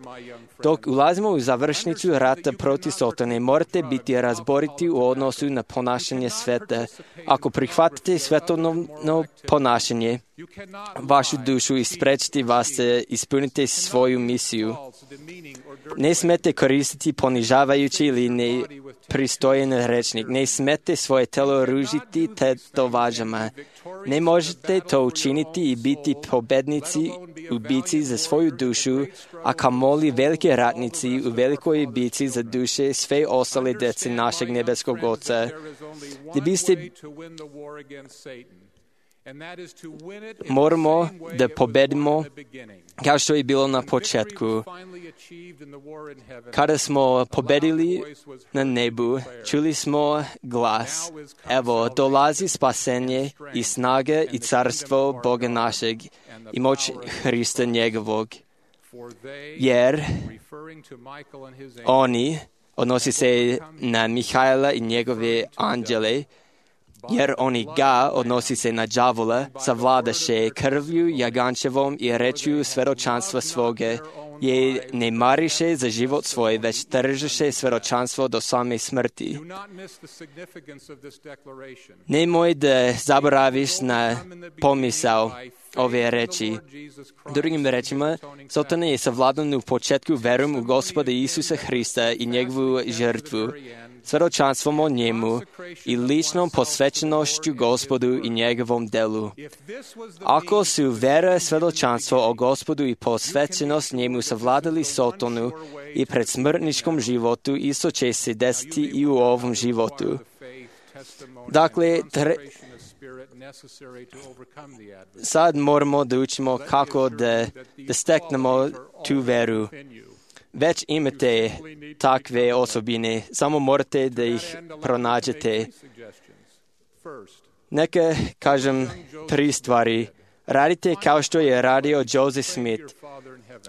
Dok ulazimo u završnicu rata protiv Sotone, morate biti razboriti u odnosu na ponašanje sveta. Ako prihvatite svetovno ponašanje, vašu dušu i sprečiti vas da ispunite svoju misiju. Ne smete koristiti ponižavajući ili nepristojen rečnik. Ne smete svoje telo ružiti tetovažama. Ne možete to učiniti i biti pobednici u bici za svoju dušu, a kamoli veliki ratnici u velikoj bici za duše sve ostale dece našeg nebeskog Oca. Da biste moramo da pobedimo kao što je bilo na početku. Kada smo pobedili na nebu, čuli smo glas: evo, dolazi spasenje i snaga i carstvo Boga našeg i moć Hrista njegovog. Jer oni, odnosi se na Mihajla i njegove anđele, jer oni ga, odnosi se na đavola, savladaše krvlju jagančevom i rečju svedočanstva svoga, je ne mariše za život svoj, već tržiše svedočanstvo do same smrti. Nemoj da zaboraviš na pomisao ove reči. Drugim rečima, Sotona je savladan u početku verom u Gospoda Isusa Hrista i njegovu žrtvu, svedočanstvom o njemu i ličnom posvećenošću Gospodu i njegovom delu. Ako su vera, svedočanstvo o Gospodu i posvećenost njemu savladali Sotonu i pred smrtničkom životu, isto će se desiti i u ovom životu. Dakle, tre... sad moramo da učimo kako da, da steknemo tu veru. Već imate takve osobine, samo morate da ih pronađete. Neka kažem tri stvari. Radite kao što je radio Joseph Smith.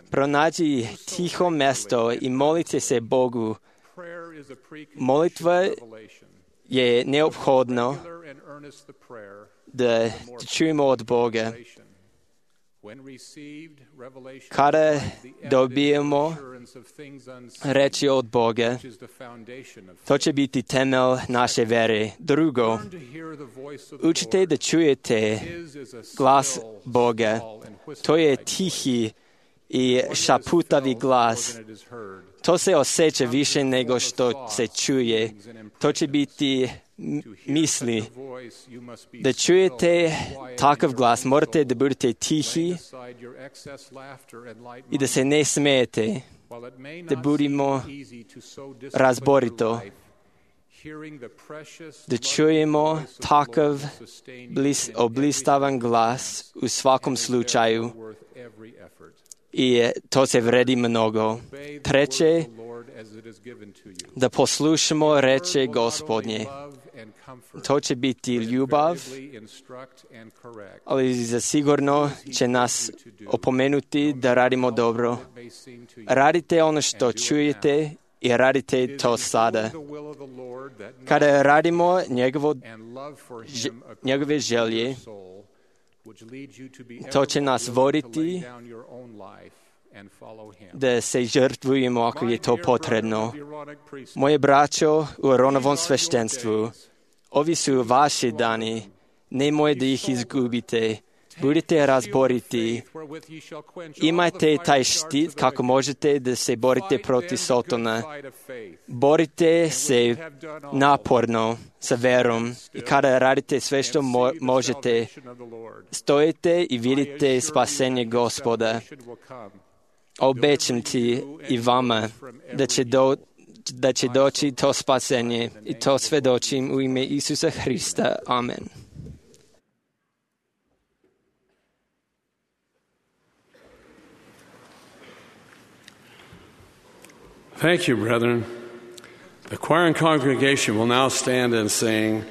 Pronađi tiho mesto i molite se Bogu. Molitva je neophodno da čujemo od Boga. Kada dobijemo reči od Boga, to će biti temelj naše vere. Drugo, učite da čujete glas Boga. To je tihi i šaputavi glas. To se osjeća više nego što se čuje. To će biti misli. Da čujete takav glas, morate da budete tihi i da se ne smijete, da budemo razborito, da čujemo takav blis, oblistavan glas u svakom slučaju i to se vredi mnogo. Treće, da poslušamo reče Gospodnje. To će biti ljubav, ali zasigurno će nas opomenuti da radimo dobro. Radite ono što čujete i radite to sada. Kada radimo njegovo, njegove želje, to će nas voditi da se žrtvujemo ako je to potrebno. Moje braćo u Aronovom sveštenstvu, ovi su vaši dani, nemoj da ih izgubite. Budite razboriti. Imajte taj štit kako možete da se borite protiv Sotona. Borite se naporno sa verom i kada radite sve što mo- možete, stojite i vidite spasenje Gospoda. Obećam ti i vama da će, do, da će doći to spasenje i to svedočim u ime Isusa Hrista. Amen. Thank you, brethren. The choir and congregation will now stand and sing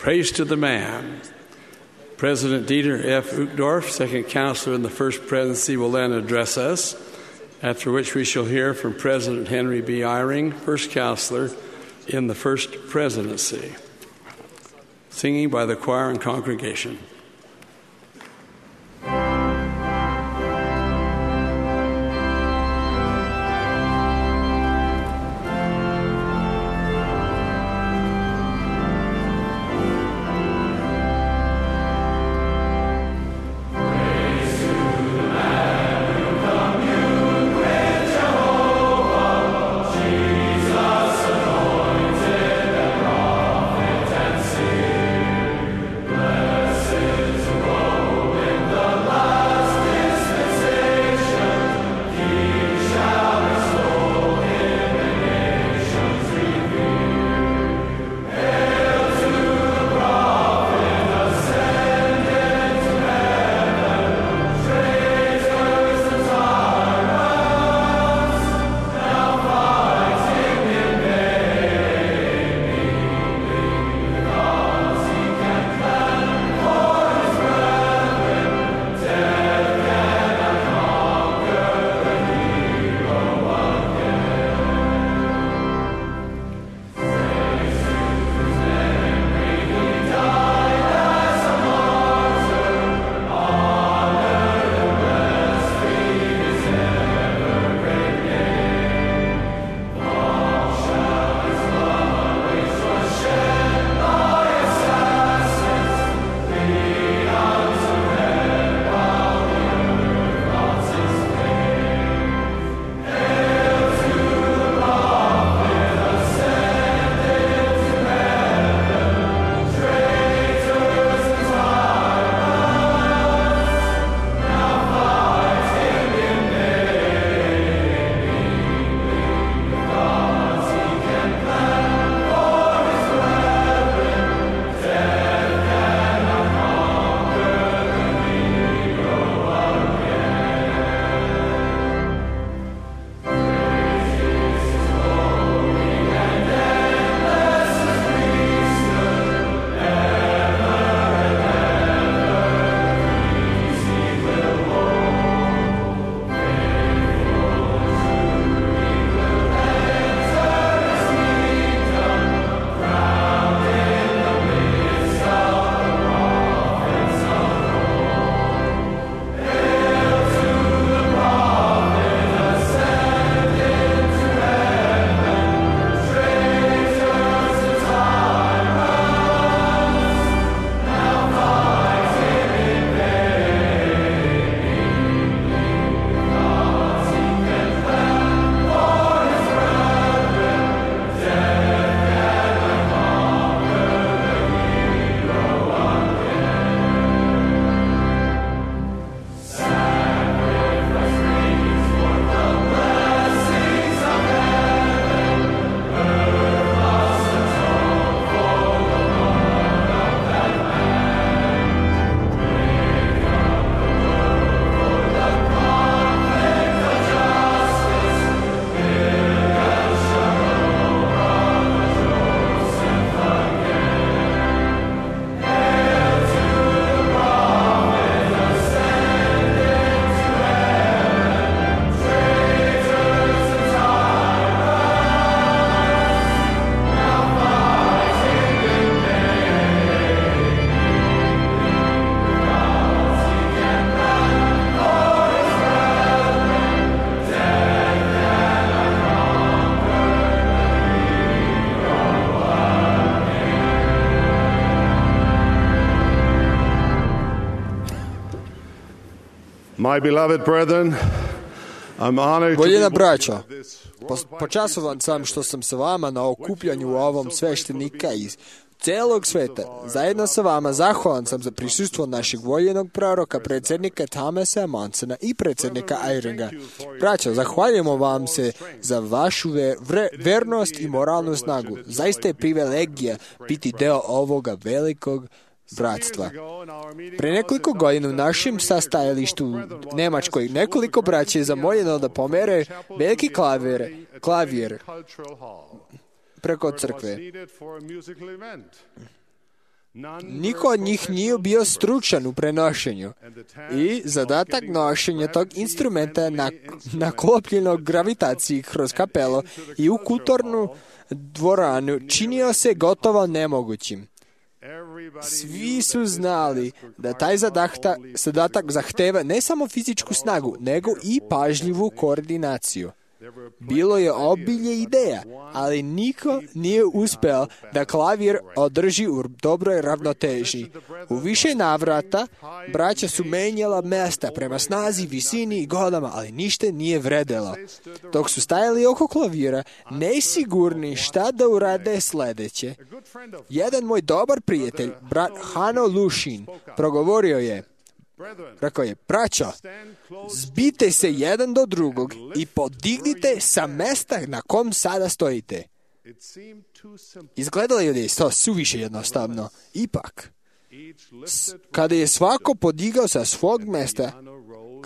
Praise to the man. President Dieter F. Uchtdorf, second counselor in the first presidency, will then address us, after which we shall hear from President Henry B. Eyring, first counselor in the first presidency. Singing by the choir and congregation. My beloved brethren, I'm honored to Voljena be braćo, počasovan sam što sam sa vama na okupljanju ovom sveštenika iz celog sveta. Zajedno sa vama zahvalan sam za prisustvo našeg voljenog proroka, predsjednika Thomasa Monsona i predsjednika Eyringa. Braćo, zahvaljujemo vam se za vašu ver, ver, vernost i moralnu snagu. Zaista je privilegija biti deo ovoga velikog bratstva. Pre nekoliko godina u našem sastajalištu u Nemačkoj nekoliko braća je zamoljeno da pomere veliki klavir, klavir preko crkve. Niko od njih nije bio stručan u prenošenju i zadatak nošenja tog instrumenta na, naklopljeno gravitaciji kroz kapelo i u kulturnu dvoranu činio se gotovo nemogućim. Svi su znali da taj zadahta, zadatak zahteva ne samo fizičku snagu, nego i pažljivu koordinaciju. Bilo je obilje ideja, ali niko nije uspeo da klavir održi u dobroj ravnoteži. U više navrata braća su menjala mesta prema snazi, visini i godama, ali ništa nije vredelo. Dok su stajali oko klavira, nesigurni šta da urade sledeće, jedan moj dobar prijatelj, brat Hano Lušin, progovorio je. Rekao je, braćo, zbite se jedan do drugog i podignite sa mesta na kom sada stojite. Izgledalo je da je to suviše jednostavno. Ipak, kada je svako podigao sa svog mesta,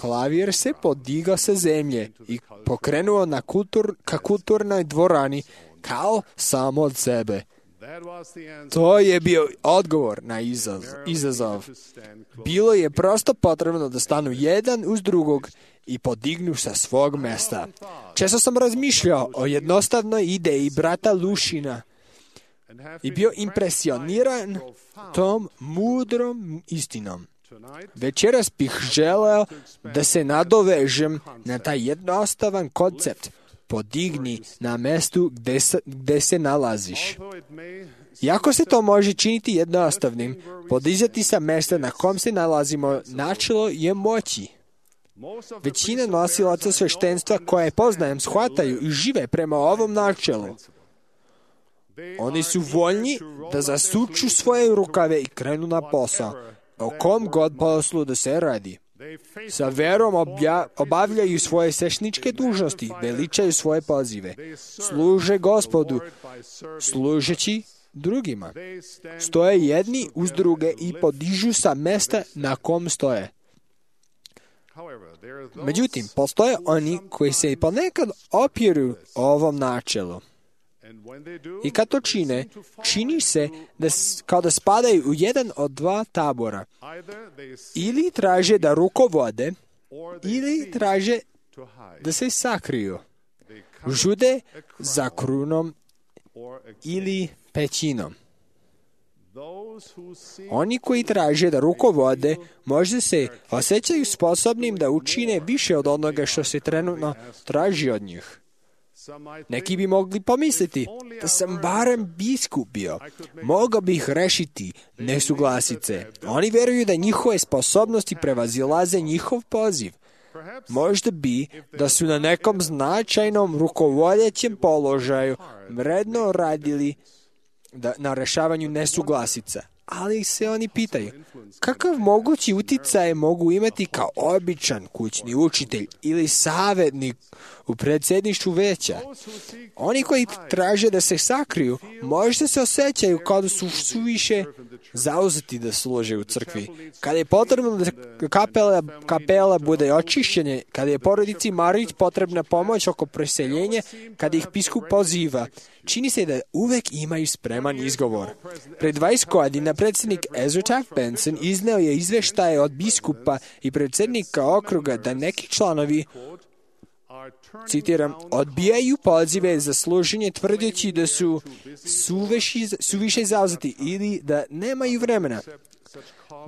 klavir se podigao sa zemlje i pokrenuo na kultur, ka kulturnoj dvorani kao samo od sebe. To je bio odgovor na izazov. Bilo je prosto potrebno da stanu jedan uz drugog i podignu sa svog mesta. Često sam razmišljao o jednostavnoj ideji brata Lušina i bio impresioniran tom mudrom istinom. Večeras bih želeo da se nadovežem na taj jednostavan koncept. Podigni na mestu gde se, gde se nalaziš. Iako se to može činiti jednostavnim, podizati sa mesta na kom se nalazimo načelo je moći. Većina nosilaca sveštenstva koje poznajem shvataju i žive prema ovom načelu. Oni su voljni da zasuču svoje rukave i krenu na posao, o kom god poslu da se radi. Sa verom obja, obavljaju svoje svešničke dužnosti, veličaju svoje pozive, služe Gospodu, služeći drugima. Stoje jedni uz druge i podižu sa mesta na kom stoje. Međutim, postoje oni koji se ponekad opiru ovom načelu. I kad to čine, čini se da, kao da spadaju u jedan od dva tabora. Ili traže da rukovode, ili traže da se sakriju. Žude za krunom ili pećinom. Oni koji traže da rukovode, možda se osjećaju sposobnim da učine više od onoga što se trenutno traži od njih. Neki bi mogli pomisliti da sam barem biskup bio, mogao bih rešiti nesuglasice. Oni veruju da njihove sposobnosti prevazilaze njihov poziv. Možda bi da su na nekom značajnom rukovodjećem položaju vredno radili da, na rešavanju nesuglasica. Ali se oni pitaju, kakav mogući uticaj mogu imati kao običan kućni učitelj ili savjetnik u predsjedništvu veća? Oni koji traže da se sakriju, možda se osjećaju kao da su suviše zauzeti da služe u crkvi. Kada je potrebno da kapela, kapela bude očišćenje, kada je porodici Marić potrebna pomoć oko preseljenja, kada ih biskup poziva, čini se da uvek imaju spreman izgovor. Pred dvadeset godina predsjednik Ezra Taft Benson izneo je izveštaje od biskupa i predsjednika okruga da neki članovi, citiram, odbijaju pozive za služenje tvrdeći da su suveši, suviše zauzeti ili da nemaju vremena.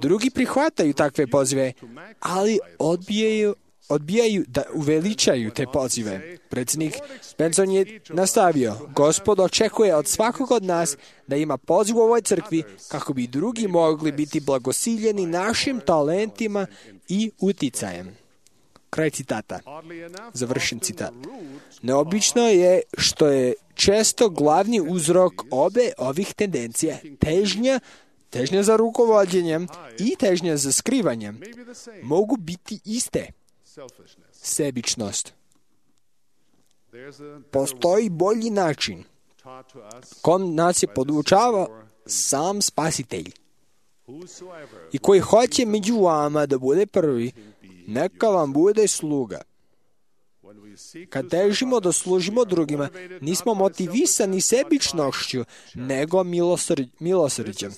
Drugi prihvataju takve pozive, ali odbijaju odbijaju da uveličaju te pozive. Predsjednik Benson je nastavio, Gospod očekuje od svakog od nas da ima poziv u ovoj crkvi kako bi drugi mogli biti blagosiljeni našim talentima i uticajem. Kraj citata. Završen citat. Neobično je što je često glavni uzrok obe ovih tendencija težnja težnja za rukovođenjem i težnja za skrivanjem mogu biti iste. Sebičnost. Postoji bolji način kom nas je podučavao sam Spasitelj i koji hoće među vama da bude prvi, neka vam bude sluga. Kad težimo da služimo drugima, nismo motivisani sebičnošću, nego milosrđ, milosrđem.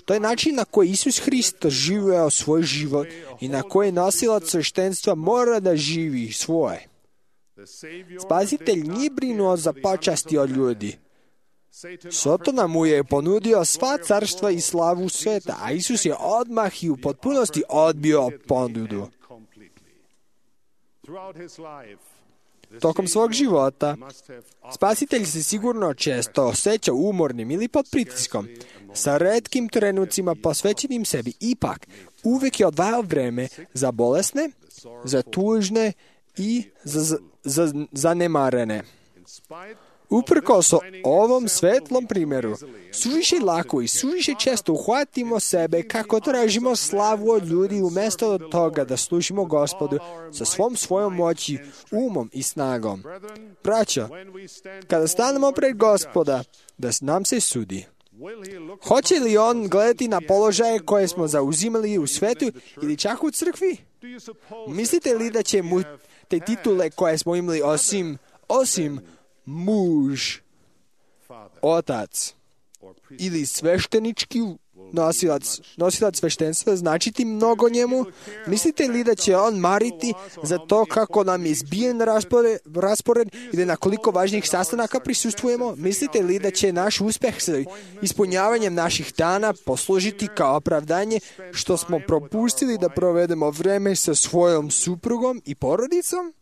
To je način na koji Isus Hristos živeo svoj život i na koji nosilac sveštenstva mora da živi svoje. Spasitelj nije brinuo za počasti od ljudi. Sotona mu je ponudio sva carstva i slavu sveta, a Isus je odmah i u potpunosti odbio ponudu. Tokom svog života, spasitelj se sigurno često osjeća umornim ili pod pritiskom, sa retkim trenucima posvećenim sebi. Ipak, uvijek je odvajao vreme za bolesne, za tužne i za, za, za zanemarene. Uprkos ovom svetlom primjeru, suviše lako i suviše često uhvatimo sebe kako tražimo slavu od ljudi umjesto od toga da služimo Gospodu sa svom svojom moći, umom i snagom. Braćo, kada stanemo pred Gospoda, da nam se sudi, hoće li on gledati na položaje koje smo zauzimali u svetu ili čak u crkvi? Mislite li da će mu te titule koje smo imali osim, osim muž, otac ili sveštenički nosilac, nosilac sveštenstva značiti mnogo njemu? Mislite li da će on mariti za to kako nam je zbijen raspored, raspored ili na koliko važnih sastanaka prisustvujemo? Mislite li da će naš uspeh sa ispunjavanjem naših dana poslužiti kao opravdanje što smo propustili da provedemo vreme sa svojom suprugom i porodicom?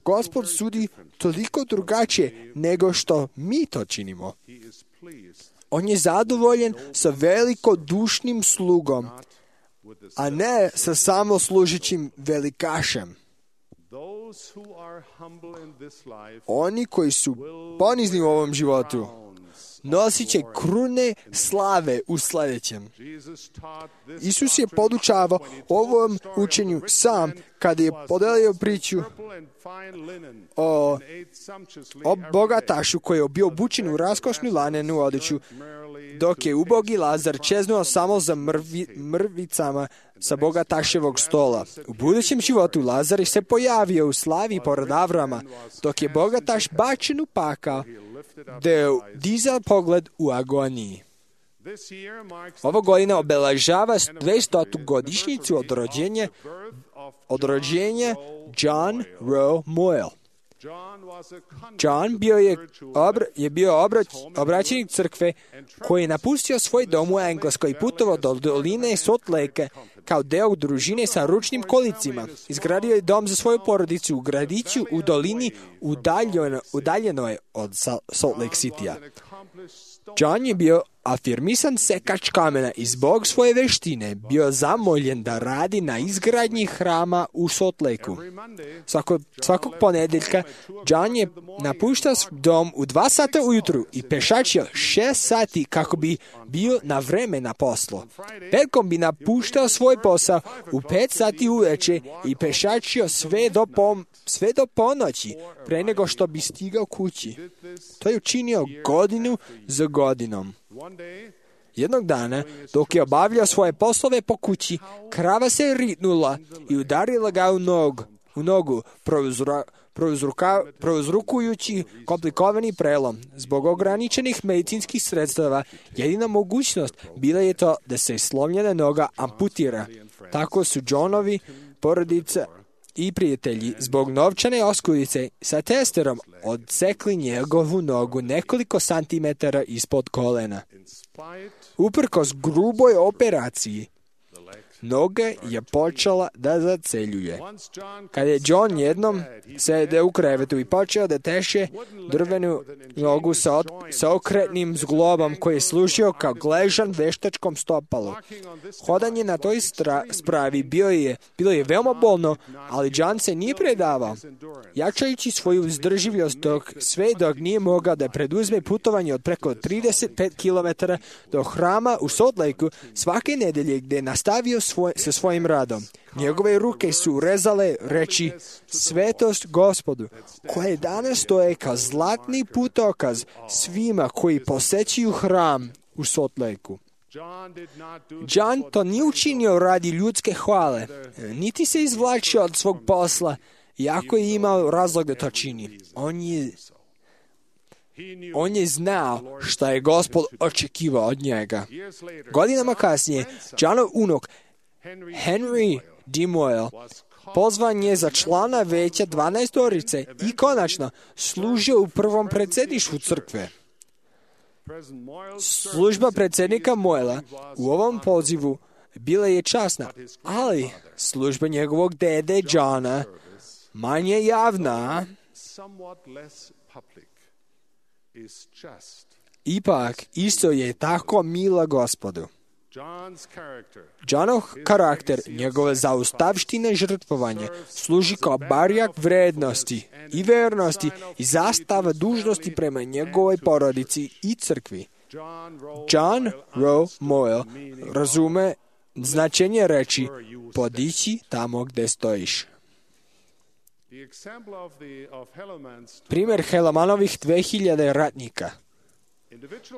Gospod sudi toliko drugačije nego što mi to činimo. On je zadovoljen sa velikodušnim slugom, a ne sa samoslužićim velikašem. Oni koji su ponizni u ovom životu nosit će krune slave u sljedećem. Isus je podučavao ovom učenju sam kada je podelio priču o, o bogatašu koji je bio obučen u raskošnu lanenu odjeću, dok je ubogi Lazar čeznuo samo za mrvi, mrvicama sa bogataševog stola. U budućem životu Lazar se pojavio u slavi pored Avrama, dok je bogataš bačen u pakao, da je dizao pogled u agoniji. Ovo godina obeležava dvestotu godišnjicu od rođenja, od rođenja John Rowe Moyle. John bio je, obra, je bio obrać, obraćenik crkve koji je napustio svoj dom u Engleskoj i putovao do doline Salt Lake kao deo družine sa ručnim kolicima. Izgradio je dom za svoju porodicu u gradiću u dolini udaljeno, udaljenoj od Salt Lake City-a. John je bio afirmisan sekač kamena i zbog svoje veštine bio zamoljen da radi na izgradnji hrama u Salt Lakeu. Svako, svakog ponedjeljka John je napuštao dom u dva sata ujutru i pešačio šest sati kako bi bio na vreme na poslu. Petkom bi napuštao svoj posao u pet sati uveče i pešačio sve do, pom, sve do ponoći pre nego što bi stigao kući. To je učinio godinu za godinom. Jednog dana, dok je obavljao svoje poslove po kući, krava se ritnula i udarila ga u nogu, u nogu prouzra, prouzruka, prouzrukujući komplikovani prelom. Zbog ograničenih medicinskih sredstava, jedina mogućnost bila je to da se slomljena noga amputira. Tako su Johnovi porodica i prijatelji zbog novčane oskudice sa testerom odsekli njegovu nogu nekoliko santimetara ispod kolena. Uprkos gruboj operaciji, noga je počela da zaceljuje. Kad je John jednom sedeo u krevetu i počeo da teše drvenu nogu sa, od, sa okretnim zglobom koji je služio kao gležan veštačkom stopalu. Hodanje na toj stra, spravi bio je, bilo je veoma bolno, ali John se nije predavao. Jačajući svoju izdrživljost dok sve dok nije mogao da preduzme putovanje od preko trideset pet kilometara do hrama u Salt Lakeu svake nedelje gdje je nastavio svoj, sa svojim radom. Njegove ruke su rezale reči svetost Gospodu, koje danas stoje kao zlatni putokaz svima koji posećuju hram u Salt Lakeu. John to nije učinio radi ljudske hvale, niti se izvlačio od svog posla, iako je imao razlog da to čini. On je, on je znao šta je Gospod očekivao od njega. Godinama kasnije, Johnov unuk Henry D. Moyle pozvan je za člana veća dvanaestorice i konačno služio u prvom predsjedništvu crkve. Služba predsjednika Moyla u ovom pozivu bila je časna, ali služba njegovog dede Johna manje javna, ipak isto je tako mila Gospodu. Johnov karakter, njegove zaustavštine žrtvovanje, služi kao barjak vrednosti i vernosti i zastava dužnosti prema njegovoj porodici i crkvi. John Rowe Moyle razume značenje reči podići tamo gdje stojiš. Primjer Helemanovih dve hiljade ratnika.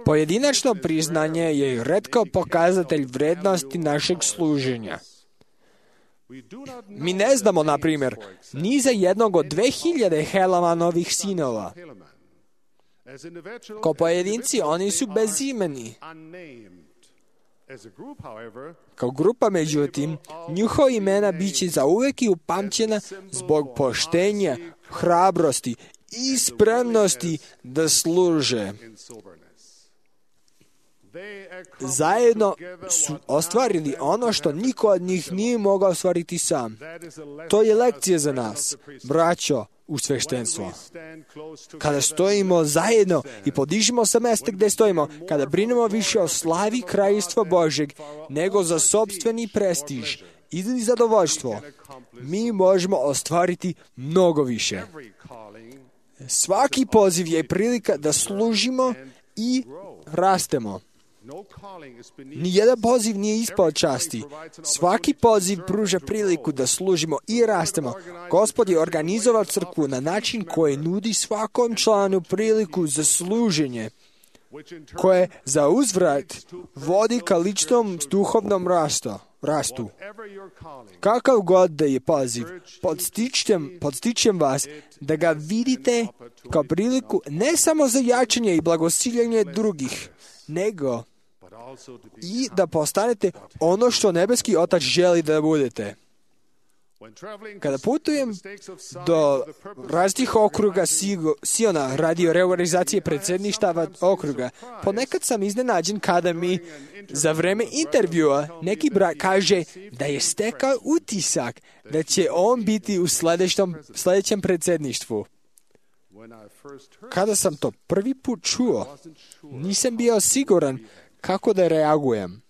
Pojedinačno priznanje je retko pokazatelj vrednosti našeg služenja. Mi ne znamo, na primjer, ni za jednog od dve hiljade Helemanovih sinova. Kao pojedinci oni su bezimeni. Kao grupa, međutim, njihova imena bit će zauvek i upamćena zbog poštenja, hrabrosti i spremnosti da služe. Zajedno su ostvarili ono što niko od njih nije mogao ostvariti sam. To je lekcija za nas, braćo u sveštenstvo. Kada stojimo zajedno i podižemo sa mesta gdje stojimo, kada brinemo više o slavi Kraljevstva Božeg nego za sopstveni prestiž ili zadovoljstvo, mi možemo ostvariti mnogo više. Svaki poziv je prilika da služimo i rastemo. Nijedan poziv nije ispod časti. Svaki poziv pruža priliku da služimo i rastemo. Gospod je organizovao crkvu na način koji nudi svakom članu priliku za služenje, koje za uzvrat vodi ka ličnom duhovnom rastu. rastu. Kakav god da je poziv, podstičem, podstičem vas da ga vidite kao priliku ne samo za jačanje i blagosiljanje drugih, nego i da postanete ono što nebeski Otac želi da budete. Kada putujem do raznih okruga Siona radi reorganizacije predsjedništava okruga, ponekad sam iznenađen kada mi za vreme intervjua neki brat kaže da je stekao utisak da će on biti u sljedećem, sljedećem predsjedništvu. Kada sam to prvi put čuo, nisam bio siguran kako da reagujem.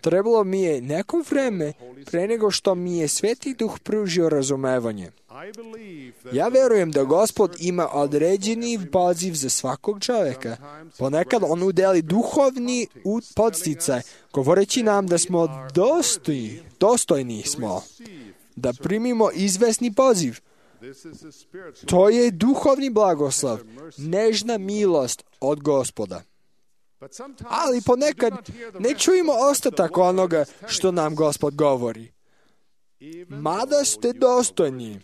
Trebalo mi je neko vreme pre nego što mi je Sveti Duh pružio razumevanje. Ja verujem da Gospod ima određeni poziv za svakog čovjeka. Ponekad on udeli duhovni podsticaj, govoreći nam da smo dostojni, dostojni smo, da primimo izvesni poziv. To je duhovni blagoslov, nežna milost od Gospoda. Ali ponekad ne čujemo ostatak onoga što nam Gospod govori. Mada ste dostojni,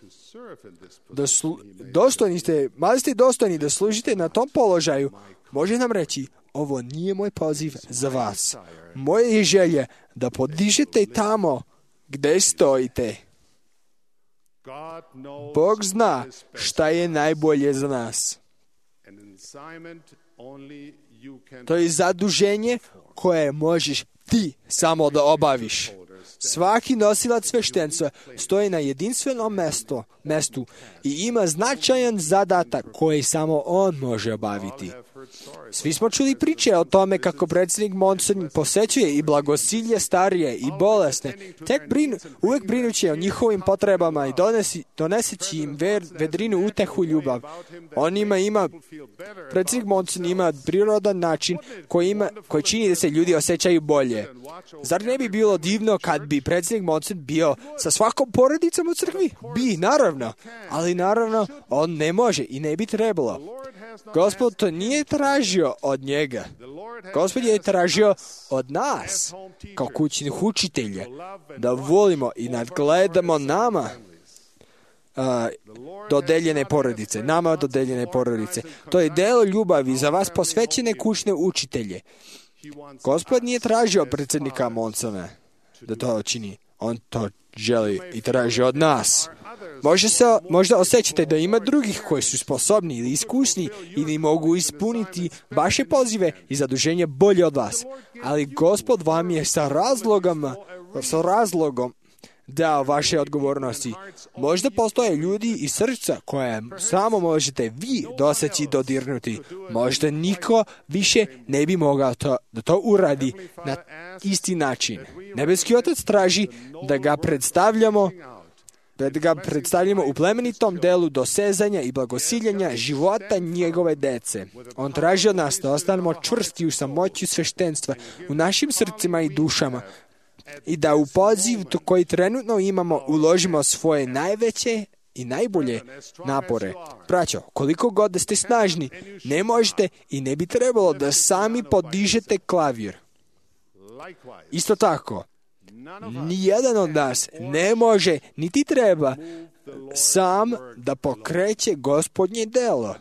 da slu, dostojni ste, mada ste dostojni da služite na tom položaju, može nam reći, ovo nije moj poziv za vas. Moje je želje da podižete tamo gdje stojite. Bog zna šta je najbolje za nas. To je zaduženje koje možeš ti samo da obaviš. Svaki nosilac sveštenstva stoji na jedinstvenom mestu, mestu i ima značajan zadatak koji samo on može obaviti. Svi smo čuli priče o tome kako predsjednik Monson posećuje i blagosilje starije i bolesne, tek brinu, uvijek brinući o njihovim potrebama i donesi, doneseći im ver, vedrinu, utehu, ljubav. On ima, ima, predsjednik Monson ima prirodan način koji, ima, koji čini da se ljudi osjećaju bolje. Zar ne bi bilo divno kad bi predsjednik Monson bio sa svakom porodicom u crkvi? Bi, naravno. Ali naravno, on ne može i ne bi trebalo. Gospod to nije tražio od njega. Gospod je tražio od nas, kao kućnih učitelja, da volimo i nadgledamo nama uh, dodeljene porodice, nama dodeljene porodice. To je delo ljubavi za vas posvećene kućne učitelje. Gospod nije tražio predsjednika Monsona da to učini. On to želi i traži od nas. Možda, se, možda osjećate da ima drugih koji su sposobni ili iskusni ili mogu ispuniti vaše pozive i zaduženje bolje od vas. Ali Gospod vam je sa razlogom, sa razlogom dao vaše odgovornosti. Možda postoje ljudi iz srca koje samo možete vi doseći dodirnuti. Možda niko više ne bi mogao to, da to uradi na isti način. Nebeski Otac traži da ga predstavljamo da ga predstavljamo u plemenitom delu dosezanja i blagosiljanja života njegove dece. On traži od nas da ostanemo čvrsti u samoći sveštenstva u našim srcima i dušama i da u poziv koji trenutno imamo uložimo svoje najveće i najbolje napore. Braćo, koliko god da ste snažni, ne možete i ne bi trebalo da sami podižete klavir. Isto tako, nijedan od nas ne može, niti treba, sam da pokreće Gospodnje delo.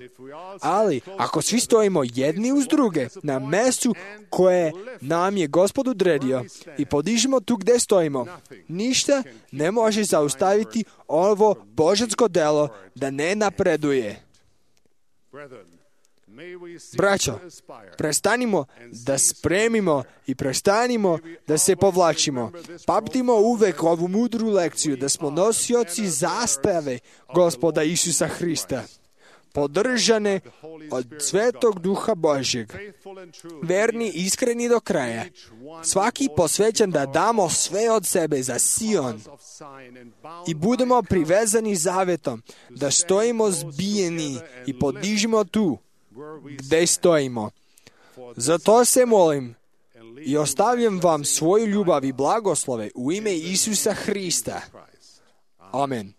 Ali, ako svi stojimo jedni uz druge na mestu koje nam je Gospod odredio i podižemo tu gde stojimo, ništa ne može zaustaviti ovo božansko delo da ne napreduje. Braćo, prestanimo da spremimo i prestanimo da se povlačimo. Pamtimo uvek ovu mudru lekciju da smo nosioci zastave Gospoda Isusa Hrista, podržane od Svetog Duha Božjeg, verni i iskreni do kraja, svaki posvećen da damo sve od sebe za Sion i budemo privezani zavetom, da stojimo zbijeni i podižimo tu gde stojimo. Zato se molim i ostavljam vam svoju ljubav i blagoslove u ime Isusa Hrista. Amen.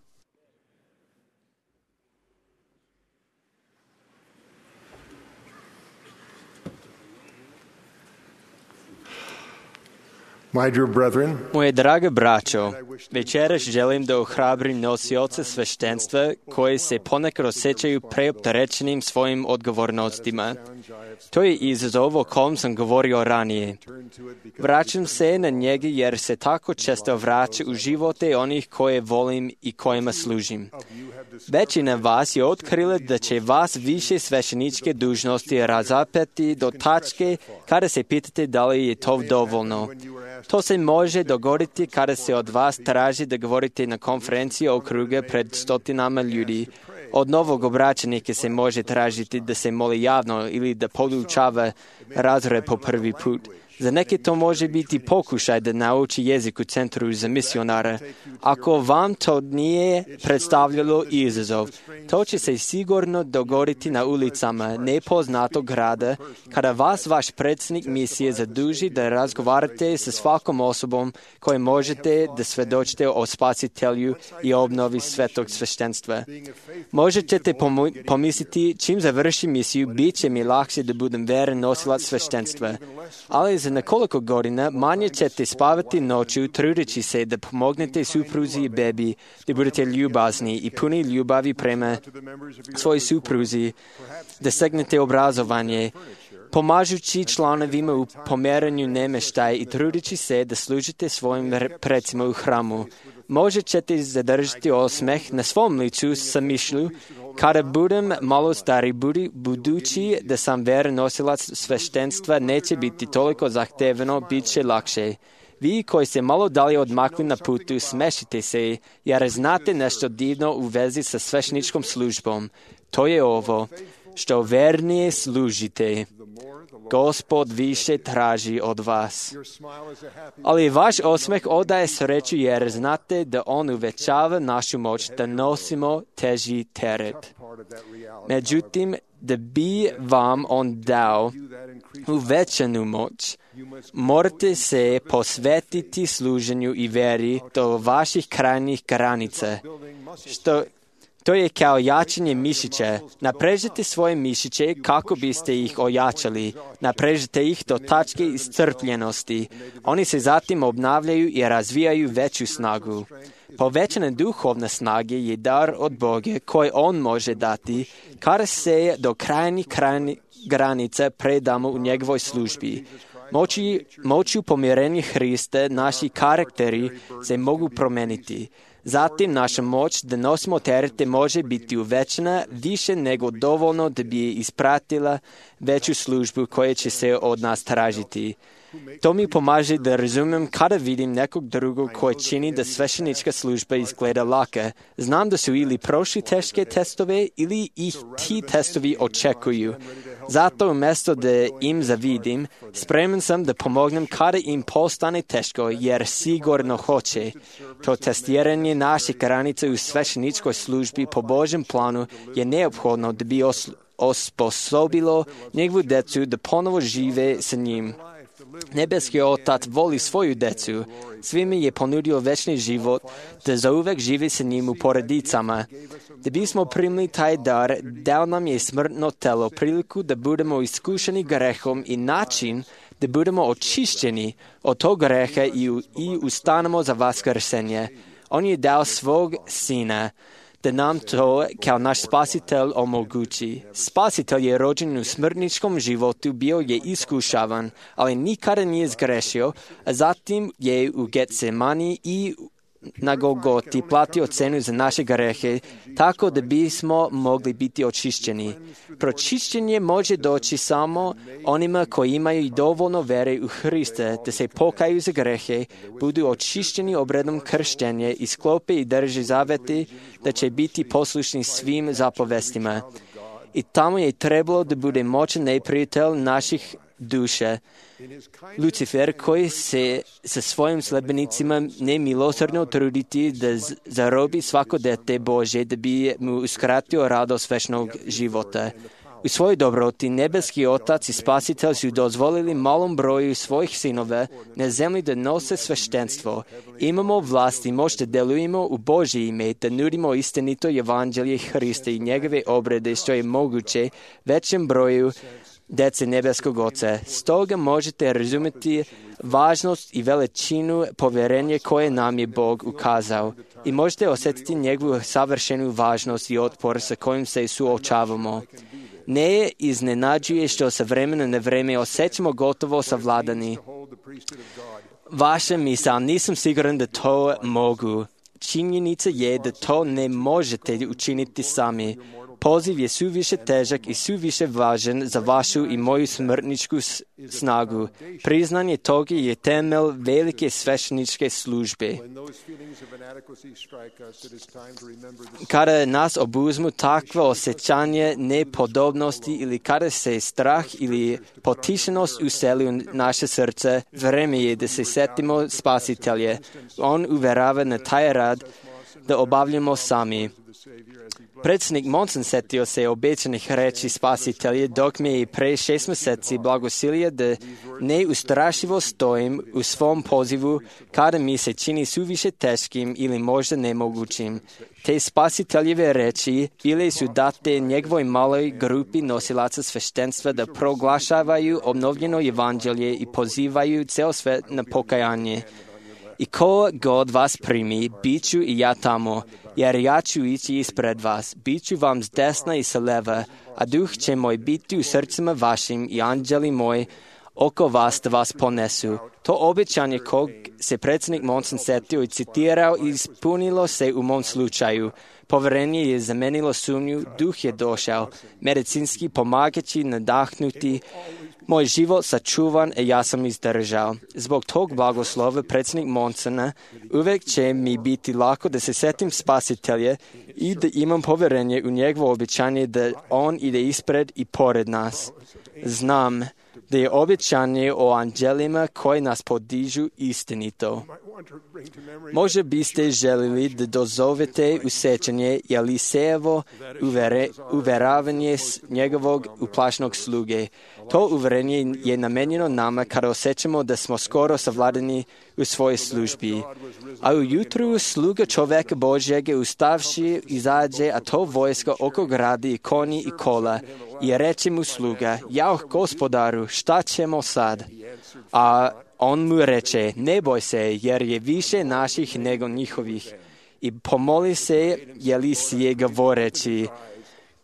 Moje drage braćo, večeras želim da ohrabrim nosioce sveštenstva koji se ponekad osjećaju preopterećenim svojim odgovornostima. To je izazov o kom sam govorio ranije. Vraćam se na njega jer se tako često vraća u živote onih koje volim i kojima služim. Većina vas je otkrila da će vas više svešteničke dužnosti razapeti do tačke kada se pitate da li je to dovoljno. To se može dogoditi kada se od vas traži da govorite na konferenciji okruga pred stotinama ljudi. Od novog obraćenika se može tražiti da se moli javno ili da podučava razred po prvi put. Za neke to može biti pokušaj da nauči jezik u centru za misionara. Ako vam to nije predstavljalo izazov, to će se sigurno dogoditi na ulicama nepoznatog grada kada vas vaš predsjednik misije zaduži da razgovarate sa svakom osobom koje možete da svedočite o spasitelju i obnovi svetog sveštenstva. Možete pomisliti čim završim misiju, bit će mi lakše da budem veren nosilac sveštenstva. Ali za nekoliko godina manje ćete spavati noću trudeći se da pomognete supruzi i bebi, da budete ljubazni i puni ljubavi prema svojoj supruzi, da stegnete obrazovanje, pomažući članovima u pomeranju namještaja i trudeći se da služite svojim precima u hramu. Možda ćete zadržati osmeh na svom licu sa mišlju, kada budem malo stari, budi, budući da sam veren nosilac sveštenstva, neće biti toliko zahtevno, bit će lakše. Vi koji se malo dalje odmakli na putu, smešite se, jer znate nešto divno u vezi sa svešteničkom službom. To je ovo, što vernije služite, Gospod više traži od vas. Ali vaš osmeh odaje sreću jer znate da on uvećava našu moć da nosimo teži teret. Međutim, da bi vam on dao uvećanu moć, morate se posvetiti služenju i veri do vaših krajnjih granica, što to je kao jačanje mišića. Naprežite svoje mišiće kako biste ih ojačali. Naprežite ih do tačke iscrpljenosti. Oni se zatim obnavljaju i razvijaju veću snagu. Povećana duhovna snaga je dar od Boga koji On može dati kada se do krajnjih granica predamo u njegovoj službi. Moći, moću pomirenja Hrista naši karakteri se mogu promeniti. Zatim naša moć da nosimo terete može biti uvećana više nego dovoljno da bi ispratila veću službu koja će se od nas tražiti. To mi pomaže da razumem kada vidim nekog drugog koji čini da sveštenička služba izgleda laka. Znam da su ili prošli teške testove ili ih ti testovi očekuju. Zato umjesto da im zavidim, spreman sam da pomognem kada im postane teško, jer sigurno hoće. To testiranje naših granica u svešteničkoj službi po Božjem planu je neophodno da bi os- osposobilo njegovu decu da ponovo žive sa njim. Nebeski Otac voli svoju decu. Svima je ponudio večni život da zauvek živi sa njim u porodicama. Da bismo primili taj dar, dao nam je smrtno telo, priliku da budemo iskušeni grehom i način da budemo očišćeni od tog greha i, u, i ustanemo za vaskrsenje. On je dao svog sina da nam to kao naš spasitelj omogući. Spasitelj je rođen u smrtničkom životu, bio je iskušavan, ali nikada nije zgrešio, a zatim je u Getsemani i na Golgoti platio cenu za naše grehe, tako da bismo mogli biti očišćeni. Pročišćenje može doći samo onima koji imaju dovoljno vere u Hrista, da se pokaju za grehe, budu očišćeni obredom krštenja i sklope i drže zavete da će biti poslušni svim zapovestima. I tamo je trebalo da bude moćan neprijatelj naših duša, Lucifer, koji se sa svojim sledbenicima nemilosrdno truditi da zarobi svako dete Bože, da bi mu uskratio radost večnog života. U svojoj dobroti nebeski Otac i Spasitelj su dozvolili malom broju svojih sinova na zemlji da nose sveštenstvo. Imamo vlast i moć da delujemo u Božje ime, da nudimo istinito evanđelje Hrista i njegove obrede što je moguće većem broju dece nebeskog Oca. Stoga možete razumjeti važnost i veličinu poverenja koje nam je Bog ukazao i možete osjetiti njegovu savršenu važnost i otpor sa kojim se suočavamo. Ne iznenađuje što sa vremena na vreme osjećamo gotovo savladani. Vaša misao, nisam siguran da to mogu. Činjenica je da to ne možete učiniti sami. Poziv je suviše težak i suviše važan za vašu i moju smrtničku snagu. Priznanje toga je temelj velike svešteničke službe. Kada nas obuzmu takva osjećanje nepodobnosti ili kada se strah ili potišenost useli u naše srce, vreme je da se setimo Spasitelje. On uverava na taj rad da obavljamo sami. Predsjednik Monson setio se obećanih reči Spasitelja dok mi je pre šest mjeseci blagosilio da neustrašivo stojim u svom pozivu kada mi se čini suviše teškim ili možda nemogućim. Te Spasiteljeve reči bile su date njegovoj maloj grupi nosilaca sveštenstva da proglašavaju obnovljeno evanđelje i pozivaju ceo svet na pokajanje. I ko god vas primi, bit ću i ja tamo, jer ja ću ići ispred vas, bit ću vam s desna i sa leva, a duh će moj biti u srcima vašim i anđeli moj oko vas da vas ponesu. To obećanje kog se predsjednik Monson setio i citirao ispunilo se u mom slučaju. Poverenje je zamenilo sumnju, duh je došao, medicinski pomagajući nadahnuti, moj život sačuvan i ja sam izdržao. Zbog tog blagoslova predsjednik Monsona uvijek će mi biti lako da se setim Spasitelja i da imam poverenje u njegovo obećanje da on ide ispred i pored nas. Znam da je obećanje o anđelima koji nas podižu istinito. Možda biste želili da dozovete u sećanje Elisejevo uvere, uveravanje njegovog uplašnog sluge. To uverenje je namenjeno nama kada osjećamo da smo skoro savladani u svojoj službi. A ujutru sluga čoveka Božjega ustavši izađe, a to vojska oko gradi i konji i kola. I reče mu sluga, jao gospodaru, šta ćemo sad? A on mu reče, ne boj se, jer je više naših nego njihovih. i pomoli se Jelisije govoreći: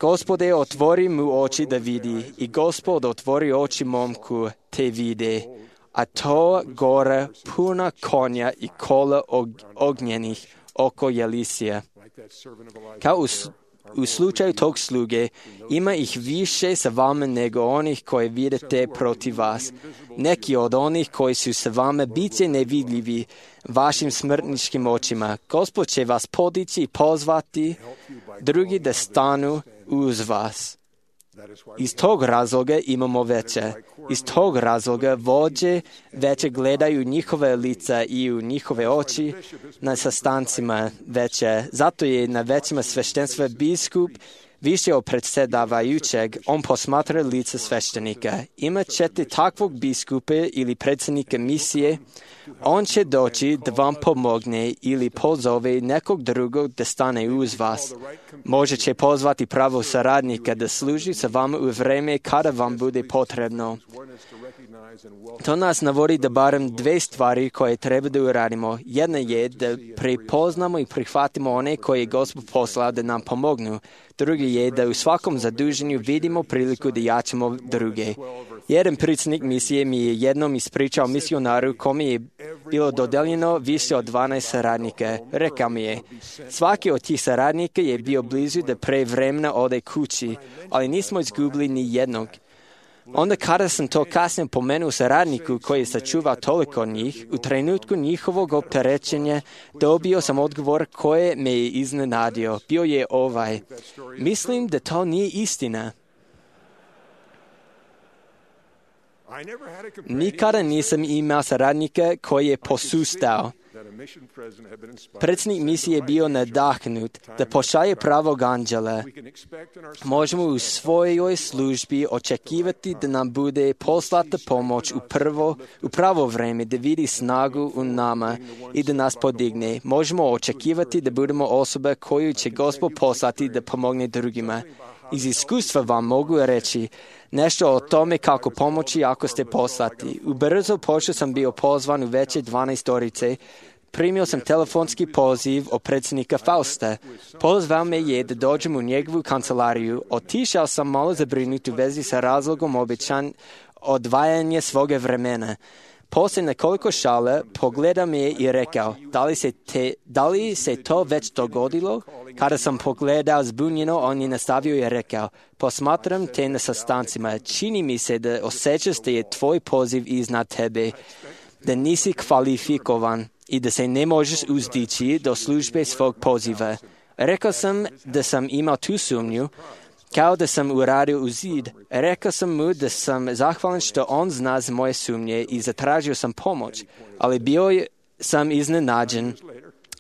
Gospode, otvori mu oči da vidi. I Gospod otvori oči momku, te vide. A to gore puna konja i kola ognjenih oko Jelisija. Kao u, u slučaju tog sluge, ima ih više sa vama nego onih koje vidite protiv vas. Neki od onih koji su sa vama biće nevidljivi vašim smrtničkim očima. Gospod će vas podići i pozvati, drugi da stanu uz vas. Iz tog razloga imamo veće. Iz tog razloga vođe veće gledaju njihove lica i u njihove oči na sastancima veće. Zato je na većima sveštenstva biskup više od predsjedavajućeg, on posmatra lice sveštenika. Imat ćete takvog biskupa ili predsjednika misije, on će doći da vam pomogne ili pozove nekog drugog da stane uz vas. Može će pozvati pravog saradnika da služi sa vama u vreme kada vam bude potrebno. To nas navodi da barem dve stvari koje treba da uradimo. Jedna je da prepoznamo i prihvatimo one koje je Gospod poslao da nam pomognu. Drugi je da u svakom zaduženju vidimo priliku da jačamo druge. Jedan predsjednik misije mi je jednom ispričao misionaru kome je bilo dodeljeno više od dvanaest saradnika. Rekao mi je: svaki od tih saradnika je bio blizu da pre vremena ode kući, ali nismo izgubili ni jednog. Onda kada sam to kasnije pomenuo saradniku koji je sačuvao toliko njih, u trenutku njihovog opterećenja dobio sam odgovor koji me je iznenadio. Bio je ovaj: mislim da to nije istina. Nikada nisam imao saradnika koji je posustao. Predsjednik misije je bio nadahnut da pošalje pravog anđela. Možemo u svojoj službi očekivati da nam bude poslata pomoć u, prvo, u pravo vreme, da vidi snagu u nama i da nas podigne. Možemo očekivati da budemo osoba koju će Gospod poslati da pomogne drugima. Iz iskustva vam mogu reći nešto o tome kako pomoći ako ste poslati. U brzo pošto sam bio pozvan u veće dvanaestorice. Primio sam telefonski poziv od predsjednika Fausta. Pozvao me je da dođem u njegovu kancelariju. Otišao sam malo zabrinut u vezi sa razlogom obećan odvajanje svoga vremena. Poslije nekoliko šale pogledao me je i rekao: da li, se te, da li se to već dogodilo? Kada sam pogledao zbunjeno, on je nastavio i rekao: posmatram te na sastancima. Čini mi se da osjećaš da je tvoj poziv iznad tebe, da nisi kvalifikovan i da se ne možeš uzdići do službe svog poziva. Rekao sam da sam imao tu sumnju, kao da sam uradio u zid. Rekao sam mu da sam zahvalan što on zna za moje sumnje i zatražio sam pomoć, ali bio sam iznenađen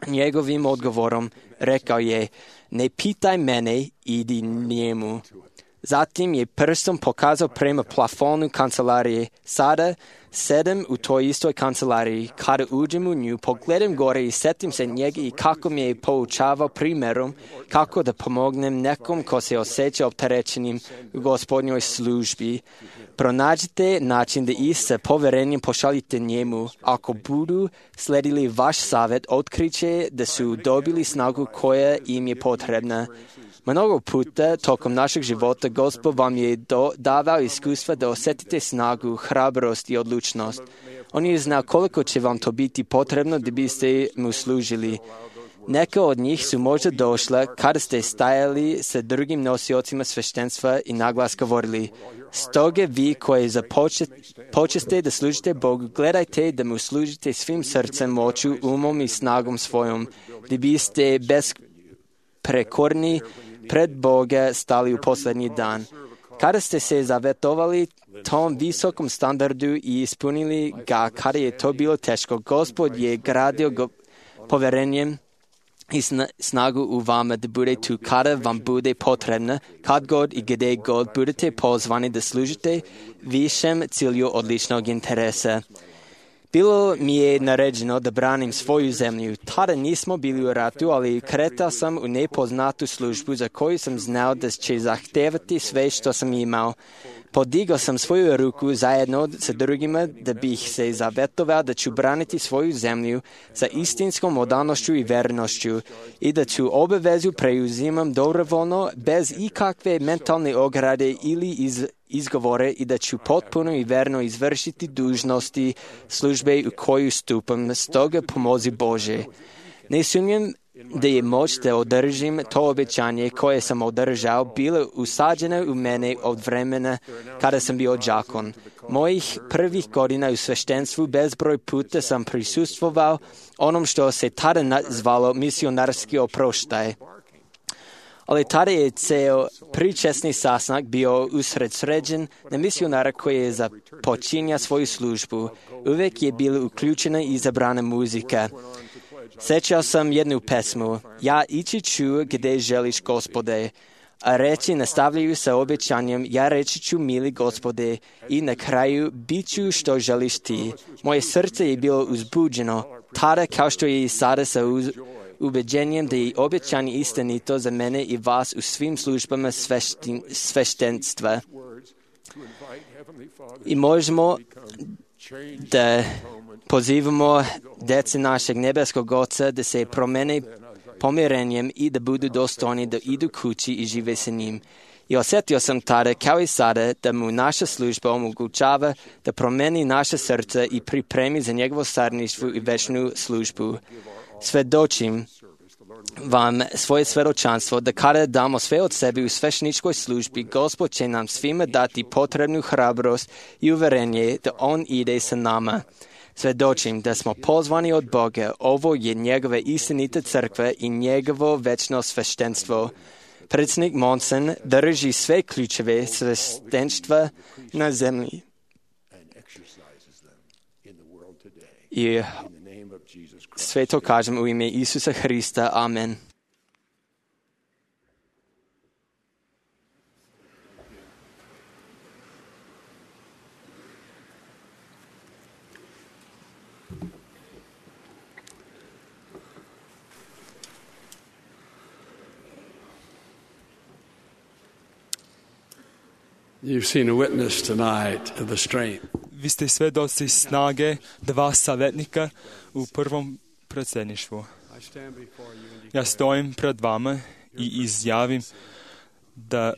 njegovim odgovorom. Rekao je: ne pitaj mene, idi njemu. Zatim je prstom pokazao prema plafonu kancelarije. Sada sedem u toj istoj kancelariji. Kada uđem u nju, pogledam gore i setim se njega i kako mi je poučavao primjerom kako da pomognem nekom ko se osjeća opterećenim u Gospodnjoj službi. Pronađite način da ih sa poverenjem pošaljite njemu. Ako budu sledili vaš savjet, otkriće da su dobili snagu koja im je potrebna. Mnogo puta tokom našeg života Gospod vam je do, davao iskustva da osjetite snagu, hrabrost i odlučnost. On je znao koliko će vam to biti potrebno da biste mu služili. Neka od njih su možda došla kada ste stajali sa drugim nosiocima sveštenstva i naglas govorili: stoga vi koji započeste da služite Bogu, gledajte da mu služite svim srcem, moću, umom i snagom svojom, da biste besprekorni pred Boga stali u posljednji dan. Kada ste se zavetovali tom visokom standardu i ispunili ga kada je to bilo teško, Gospod je gradio go poverenjem i snagu u vama da bude tu kada vam bude potrebno, kad god i gdje god budete pozvani da služite višem cilju odličnog interesa. Bilo mi je naređeno da branim svoju zemlju. Tada nismo bili u ratu, ali kretao sam u nepoznatu službu za koju sam znao da će zahtevati sve što sam imao. Podigao sam svoju ruku zajedno sa drugima da bih se zavetovao da ću braniti svoju zemlju sa istinskom odanošću i vernošću i da ću obavezu preuzimam dobrovoljno bez ikakve mentalne ograde ili iz, izgovore i da ću potpuno i verno izvršiti dužnosti službe u koju stupam. Stoga pomozi Bože. Ne sumnjam da je moć da održim to obećanje koje sam održao bilo usađeno u mene od vremena kada sam bio đakon. Mojih prvih godina u sveštenstvu bezbroj puta sam prisustvovao onom što se tada zvalo misionarski oproštaj. Ali tada je ceo pričesni sastanak bio usredsređen na misionara koji je započinja svoju službu. Uvek je bila uključena i izabrana muzika. Sjećao sam jednu pesmu, ja ići ću gdje želiš, Gospode, a reći nastavljaju sa obećanjem, ja reći ću, mili Gospode, i na kraju bit ću što želiš ti. Moje srce je bilo uzbuđeno, tada kao što je i sada sa uz, ubeđenjem da je obećanje istinito za mene i vas u svim službama sveštin, sveštenstva. I možemo da pozivamo djece našeg nebeskog Oca da se promene pomirenjem i da budu dostojni da idu kući i žive sa njim. I osjetio sam tada, kao i sada, da mu naša služba omogućava da promeni naše srce i pripremi za njegovo stvarništvo i večnu službu. Svedočim vam svoje svedočanstvo da kada damo sve od sebe u svešteničkoj službi, Gospod će nam svima dati potrebnu hrabrost i uverenje da On ide sa nama. Svedočim da smo pozvani od Boga, ovo je njegova istinita crkva i njegovo večno sveštenstvo. Predsjednik Monson drži sve ključeve sveštenstva na zemlji. I sve to kažem u ime Isusa Hrista. Amen. You've seen a witness tonight of the strength. Vi ste svedoci snage dva savjetnika u prvom predsjedništvu. Ja stojim pred vama i izjavim da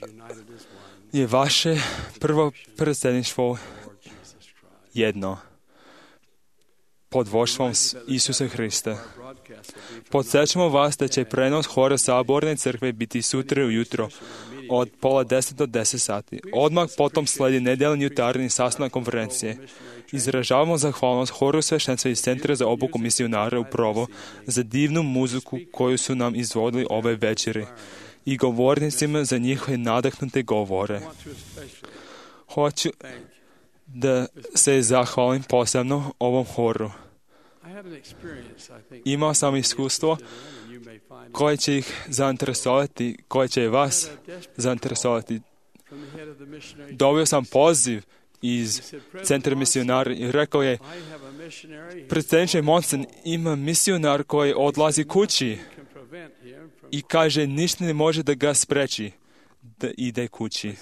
je vaše prvo predsjedništvo jedno pod vodstvom Isusa Hrista. Podsjećamo vas da će prenos hora Saborne crkve biti sutra ujutro od pola deset do deset sati. Odmah potom sledi nedeljni jutarnji sastanak konferencije. Izražavamo zahvalnost horu sveštenstva iz Centra za obuku misionara u Provo za divnu muziku koju su nam izvodili ove večeri i govornicima za njihove nadahnute govore. Hoću da se zahvalim posebno ovom horu. Imao sam iskustvo koje će ih zainteresovati, koje će vas zainteresovati. Dobio sam poziv iz Centra misionara i rekao je, predsjedniče Monson, ima misionar koji odlazi kući i kaže ništa ne može da ga spreči da ide kući.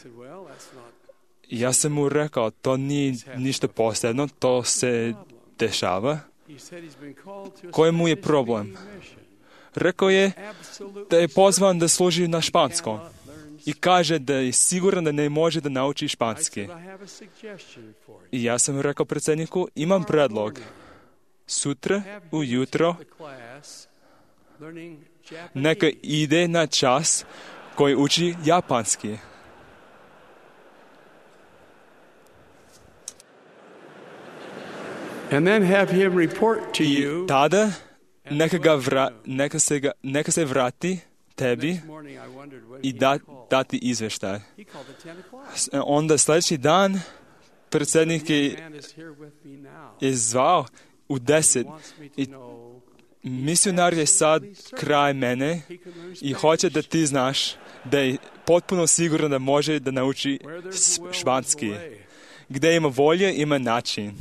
Ja sam mu rekao, to nije ništa posebno, to se dešava. Koji mu je problem? Rekao je da je pozvan da služi na španskom i kaže da je siguran da ne može da nauči španski. I ja sam rekao predsjedniku, imam predlog. Sutra ujutro neka ide na čas koji uči japanski. And then have him report to you. I tada neka, ga vra, neka, se ga, neka se vrati tebi i da, dati izveštaj. Onda sljedeći dan predsjednik je, je zvao u deset i misionar je sad kraj mene i hoće da ti znaš da je potpuno siguran da može da nauči španski. Gdje ima volje, ima način.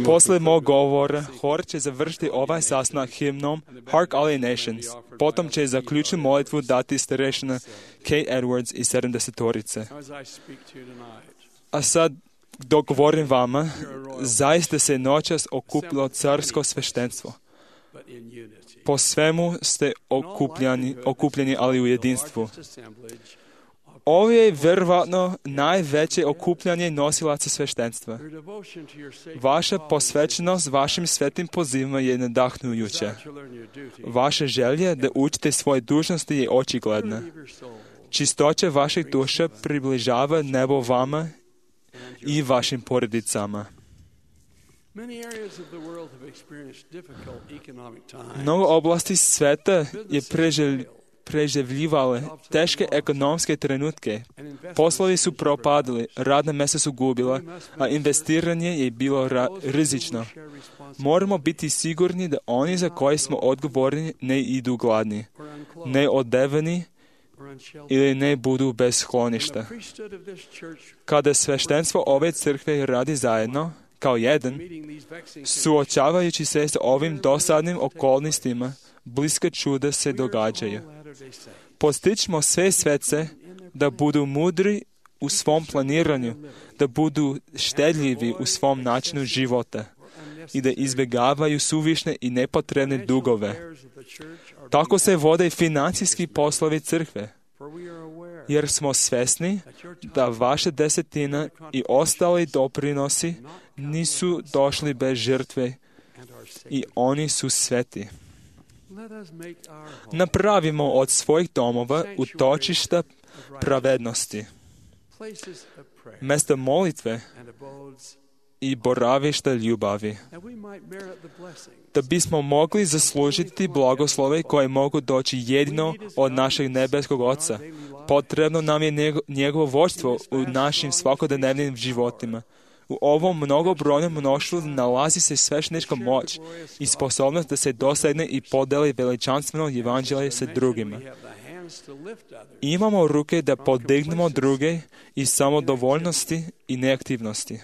Posle mog govora, hor će završiti ovaj sastanak himnom Hark All Ye Nations. Potom će za ključnu molitvu dati starešina Kate Edwards iz sedamdesetorice. A sad, dok govorim vama, zaista se noćas okupilo carsko sveštenstvo. Po svemu ste okupljeni, okupljeni, ali u jedinstvu. Ovo je vjerovatno najveće okupljanje nosilaca sveštenstva. Vaša posvećenost vašim svetim pozivima je nadahnujuća. Vaša želja da učite svoje dužnosti je očigledna. Čistoća vaših duša približava nebo vama i vašim porodicama. Mnogo oblasti sveta je preživljivalo preživljivale teške ekonomske trenutke. Poslovi su propadali, radna mjesta su gubila, a investiranje je bilo ra- rizično. Moramo biti sigurni da oni za koje smo odgovorni ne idu gladni, ne odeveni ili ne budu bez skloništa. Kada sveštenstvo ove crkve radi zajedno, kao jedan, suočavajući se s ovim dosadnim okolnostima, bliska čuda se događaju. Postičmo sve svece da budu mudri u svom planiranju, da budu štedljivi u svom načinu života i da izbjegavaju suvišne i nepotrebne dugove. Tako se vode financijski poslovi crkve, jer smo svjesni da vaša desetina i ostali doprinosi nisu došli bez žrtve i oni su sveti. Napravimo od svojih domova utočišta pravednosti, mjesta molitve i boravišta ljubavi, da bismo mogli zaslužiti blagoslove koje mogu doći jedino od našeg nebeskog Oca. Potrebno nam je njegovo vođstvo u našim svakodnevnim životima. U ovom mnogobrojnom mnoštvu nalazi se sveštenička moć i sposobnost da se dosegne i podeli veličanstveno evanđelje sa drugima. Imamo ruke da podignemo druge i samodovoljnosti i neaktivnosti.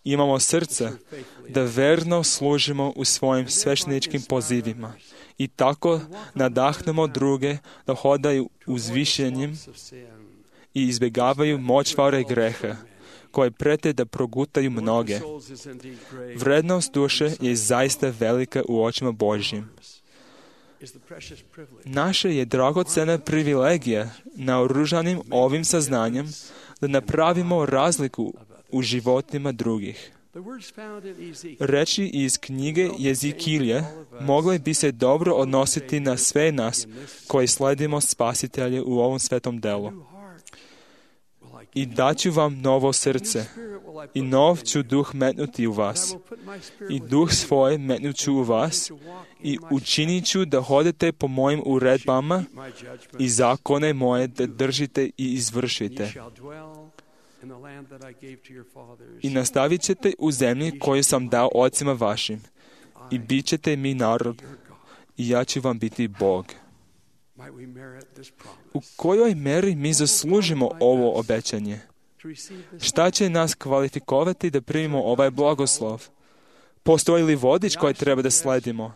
Imamo srca da verno služimo u svojim svešteničkim pozivima i tako nadahnemo druge da hodaju uzvišenjem i izbjegavaju močvare greha, koje prete da progutaju mnoge. Vrednost duše je zaista velika u očima Božjim. Naša je dragocena privilegija naoružanim ovim saznanjem da napravimo razliku u životima drugih. Reči iz knjige Jezikilja mogle bi se dobro odnositi na sve nas koji sledimo Spasitelja u ovom svetom delu. I daću vam novo srce, i nov ću duh metnuti u vas, i duh svoj metnut ću u vas, i učinit ću da hodete po mojim uredbama i zakone moje da držite i izvršite. I nastavit ćete u zemlji koju sam dao ocima vašim, i bit ćete mi narod, i ja ću vam biti Bog. U kojoj meri mi zaslužimo ovo obećanje? Šta će nas kvalifikovati da primimo ovaj blagoslov? Postoji li vodič koji treba da sledimo?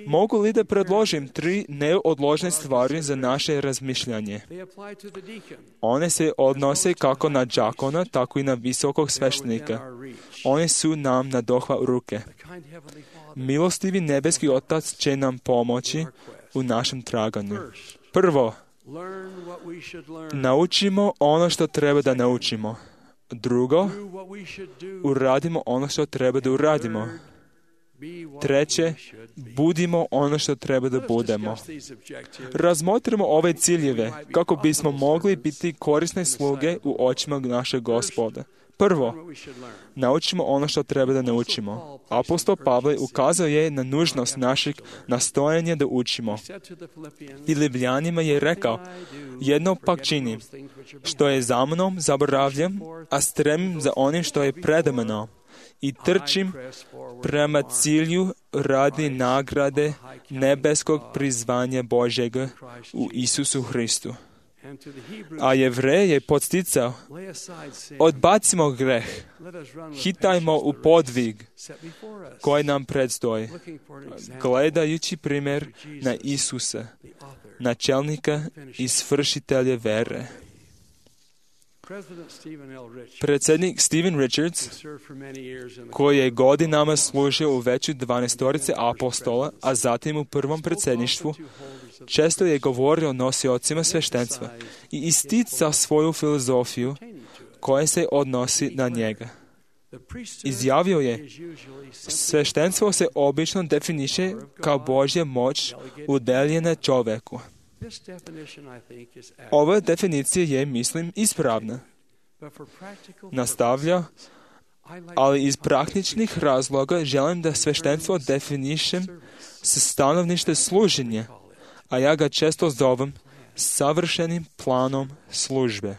Mogu li da predložim tri neodložne stvari za naše razmišljanje? One se odnose kako na đakona, tako i na visokog sveštenika. One su nam na dohvat ruke. Milostivi nebeski Otac će nam pomoći u našem traganju. Prvo, naučimo ono što treba da naučimo. Drugo, uradimo ono što treba da uradimo. Treće, budimo ono što treba da budemo. Razmotrimo ove ciljeve kako bismo mogli biti korisne sluge u očima našeg Gospoda. Prvo, naučimo ono što treba da naučimo. Apostol Pavle ukazao je na nužnost našeg nastojanja da učimo. I Ljubljanima je rekao, jedno pak činim, što je za mnom zaboravljam, a stremim za onim što je preda mnom. I trčim prema cilju radi nagrade nebeskog prizvanja Božjega u Isusu Hristu. A Jevreje je podsticao: odbacimo greh, hitajmo u podvig koji nam predstoji, gledajući primjer na Isusa, načelnika i svršitelja vere. Predsjednik Stephen Richards, koji je godinama služio u veću dvanaestorice apostola, a zatim u prvom predsjedništvu, često je govorio o nosiocima sveštenstva i isticao svoju filozofiju koja se odnosi na njega. Izjavio je: sveštenstvo se obično definiše kao Božja moć udeljena čovjeku. Ova definicija je, mislim, ispravna. Nastavlja: ali iz praktičnih razloga želim da sveštenstvo definišem sa stanovišta služenja, a ja ga često zovem savršenim planom službe.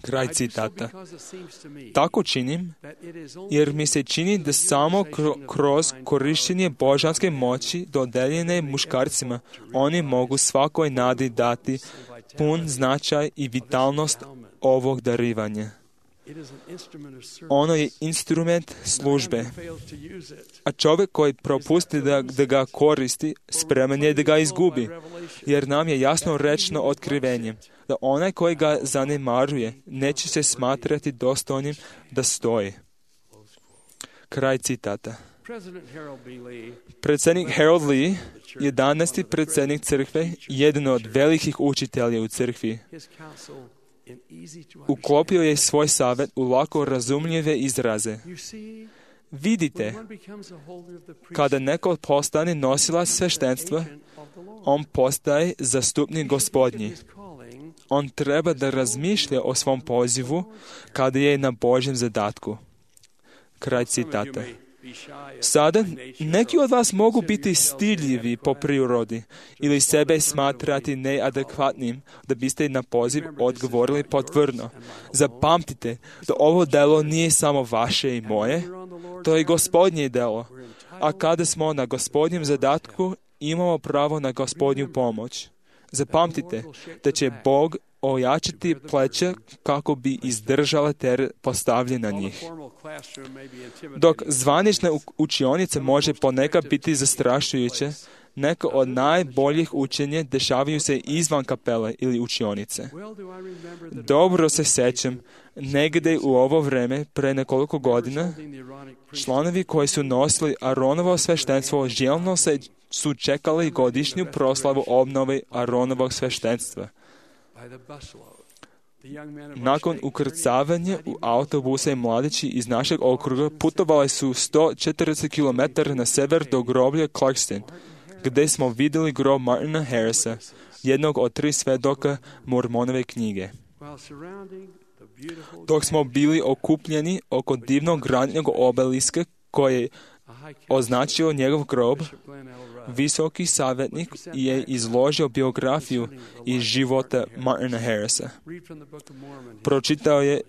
Kraj citata. Tako činim jer mi se čini da samo kroz korištenje božanske moći dodeljene muškarcima oni mogu svakoj nadi dati pun značaj i vitalnost ovog darivanja. Ono je instrument službe, a čovjek koji propusti da, da ga koristi, spreman je da ga izgubi, jer nam je jasno rečeno otkrivenjem da onaj koji ga zanemaruje neće se smatrati dostojnim da stoji. Kraj citata. Predsjednik Harold Lee, jedanaesti predsjednik crkve, jedan od velikih učitelja u crkvi, uklopio je svoj savjet u lako razumljive izraze. Vidite, kada neko postane nosilac sveštenstva, on postaje zastupnik Gospodnji. On treba da razmišlja o svom pozivu kada je na Božjem zadatku. Kraj citata. Sada, neki od vas mogu biti stidljivi po prirodi ili sebe smatrati neadekvatnim da biste na poziv odgovorili potvrdno. Zapamtite da ovo delo nije samo vaše i moje, to je Gospodnje delo. A kada smo na Gospodnjem zadatku, imamo pravo na Gospodnju pomoć. Zapamtite da će Bog ojačati pleća kako bi izdržala teret postavljen na njih. Dok zvanična učionica može ponekad biti zastrašujuća, neka od najboljih učenja dešavaju se izvan kapele ili učionice. Dobro se sećam, negdje u ovo vreme, pre nekoliko godina, članovi koji su nosili Aronovo sveštenstvo željno se su čekali godišnju proslavu obnove Aronovog sveštenstva. Nakon ukrcavanja u autobuse mladići iz našeg okruga putovali su sto četrdeset kilometara na sever do groblja Clarkston, gdje smo vidjeli grob Martina Harrisa, jednog od tri svedoka Mormonove knjige. Dok smo bili okupljeni oko divnog granitnog obeliska koje je označio njegov grob, visoki savjetnik je izložio biografiju iz života Martina Harrisa. Pročitao je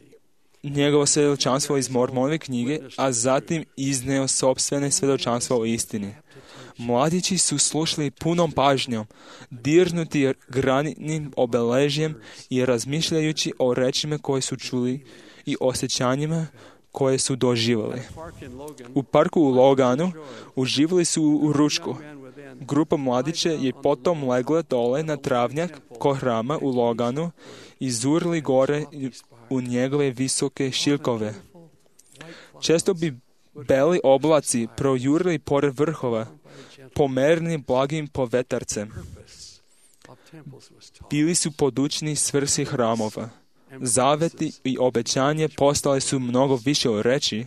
njegovo svjedočanstvo iz Mormonove knjige, a zatim izneo sopstvene svjedočanstvo o istini. Mladići su slušali punom pažnjom, dirnuti granitnim obeležjem i razmišljajući o rečima koje su čuli i osjećanjima koje su doživjeli. U parku u Loganu uživali su u ručku. Grupa mladića je potom legla dole na travnjak ko hrama u Loganu i zurili gore u njegove visoke šilkove. Često bi beli oblaci projurili pored vrhova, pomerni blagim povetarcem. Bili su podučni svrsi hramova. Zaveti i obećanje postale su mnogo više od reči.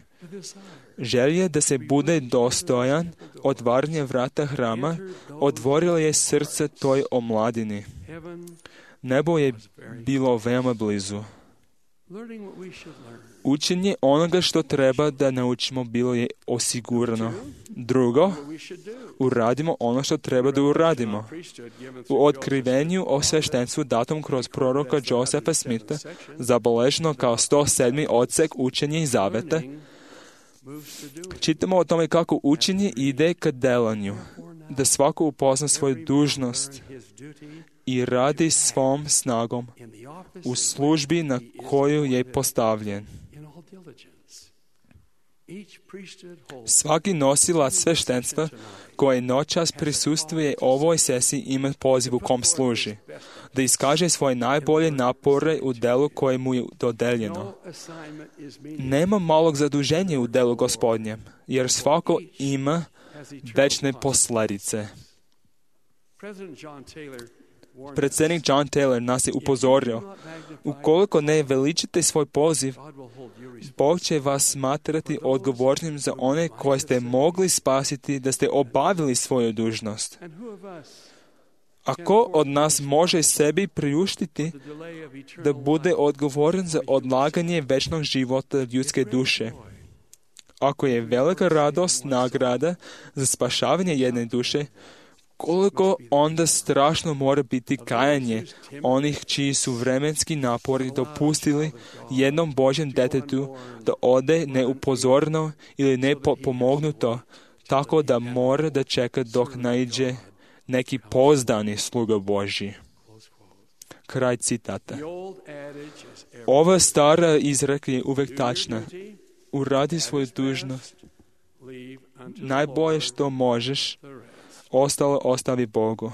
Želje da se bude dostojan otvaranja vrata hrama otvorila je srce toj omladini. Nebo je bilo veoma blizu. Učenje onoga što treba da naučimo bilo je osigurano. Drugo, uradimo ono što treba da uradimo. U otkrivenju o sveštenstvu datom kroz proroka Josefa Smitha, zabeleženo kao sto sedmi odsek učenja i zaveta, čitamo o tome kako učenje ide ka delanju, da svako upozna svoju dužnost i radi svom snagom u službi na koju je postavljen. Svaki nosilac sveštenstva koji noćas prisustvuje ovoj sesiji ima poziv u kom služi, da iskaže svoje najbolje napore u delu koje mu je dodeljeno. Nema malog zaduženja u delu Gospodnjem, jer svako ima večne posljedice. Predsjednik John Taylor nas je upozorio, ukoliko ne veličite svoj poziv, Bog će vas smatrati odgovornim za one koje ste mogli spasiti da ste obavili svoju dužnost. A ko od nas može sebi priuštiti da bude odgovoran za odlaganje večnog života ljudske duše? Ako je velika radost nagrada za spašavanje jedne duše, koliko onda strašno mora biti kajanje onih čiji su vremenski napori dopustili jednom Božjem detetu da ode neupozorno ili nepomognuto, tako da mora da čeka dok naiđe neki pouzdani sluga Božji. Kraj citata. Ova stara izreka je uvek tačna. Uradi svoju dužnost. Najbolje što možeš, ostalo ostavi Bogu.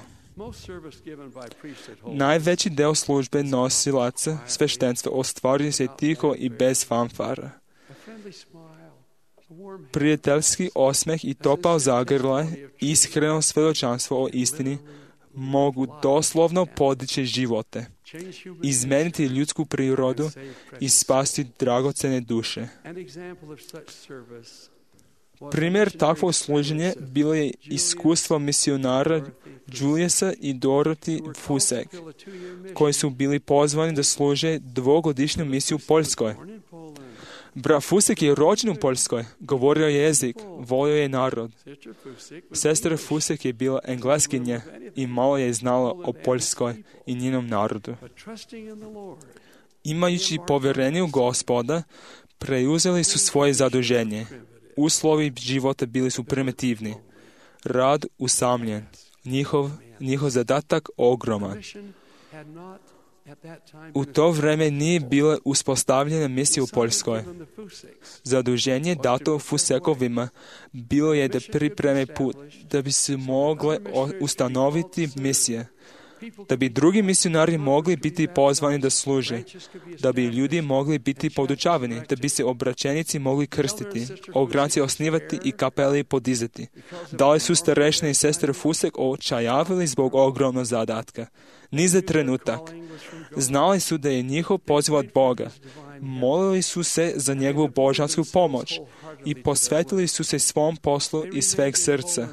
Najveći deo službe nosilaca sveštenstva ostvaruje se tiho i bez fanfara. Prijateljski osmeh i topao zagrljaj, iskreno svjedočanstvo o istini mogu doslovno podići živote, izmeniti ljudsku prirodu i spasti dragocene duše. Primjer takvog služenja bilo je iskustvo misionara Juliusa i Dorothy Fusek, koji su bili pozvani da služe dvogodišnju misiju u Poljskoj. Brat Fusek je rođen u Poljskoj, govorio je jezik, volio je narod. Sestra Fusek je bila Engleskinja i malo je znala o Poljskoj i njenom narodu. Imajući povjerenje u Gospoda, preuzeli su svoje zaduženje. Uslovi života bili su primitivni. Rad usamljen. Njihov, njihov zadatak ogroman. U to vrijeme nije bila uspostavljena misija u Poljskoj. Zaduženje dato Fusekovima bilo je da pripreme put, da bi se mogle ustanoviti misije, da bi drugi misionari mogli biti pozvani da služe, da bi ljudi mogli biti podučavani, da bi se obraćenici mogli krstiti, ogranci osnivati i kapeli podizati. Da li su starešne i sestre Fusek očajavili zbog ogromnog zadatka? Ni za trenutak. Znali su da je njihov poziv od Boga. Molili su se za njegovu božansku pomoć i posvetili su se svom poslu iz sveg srca.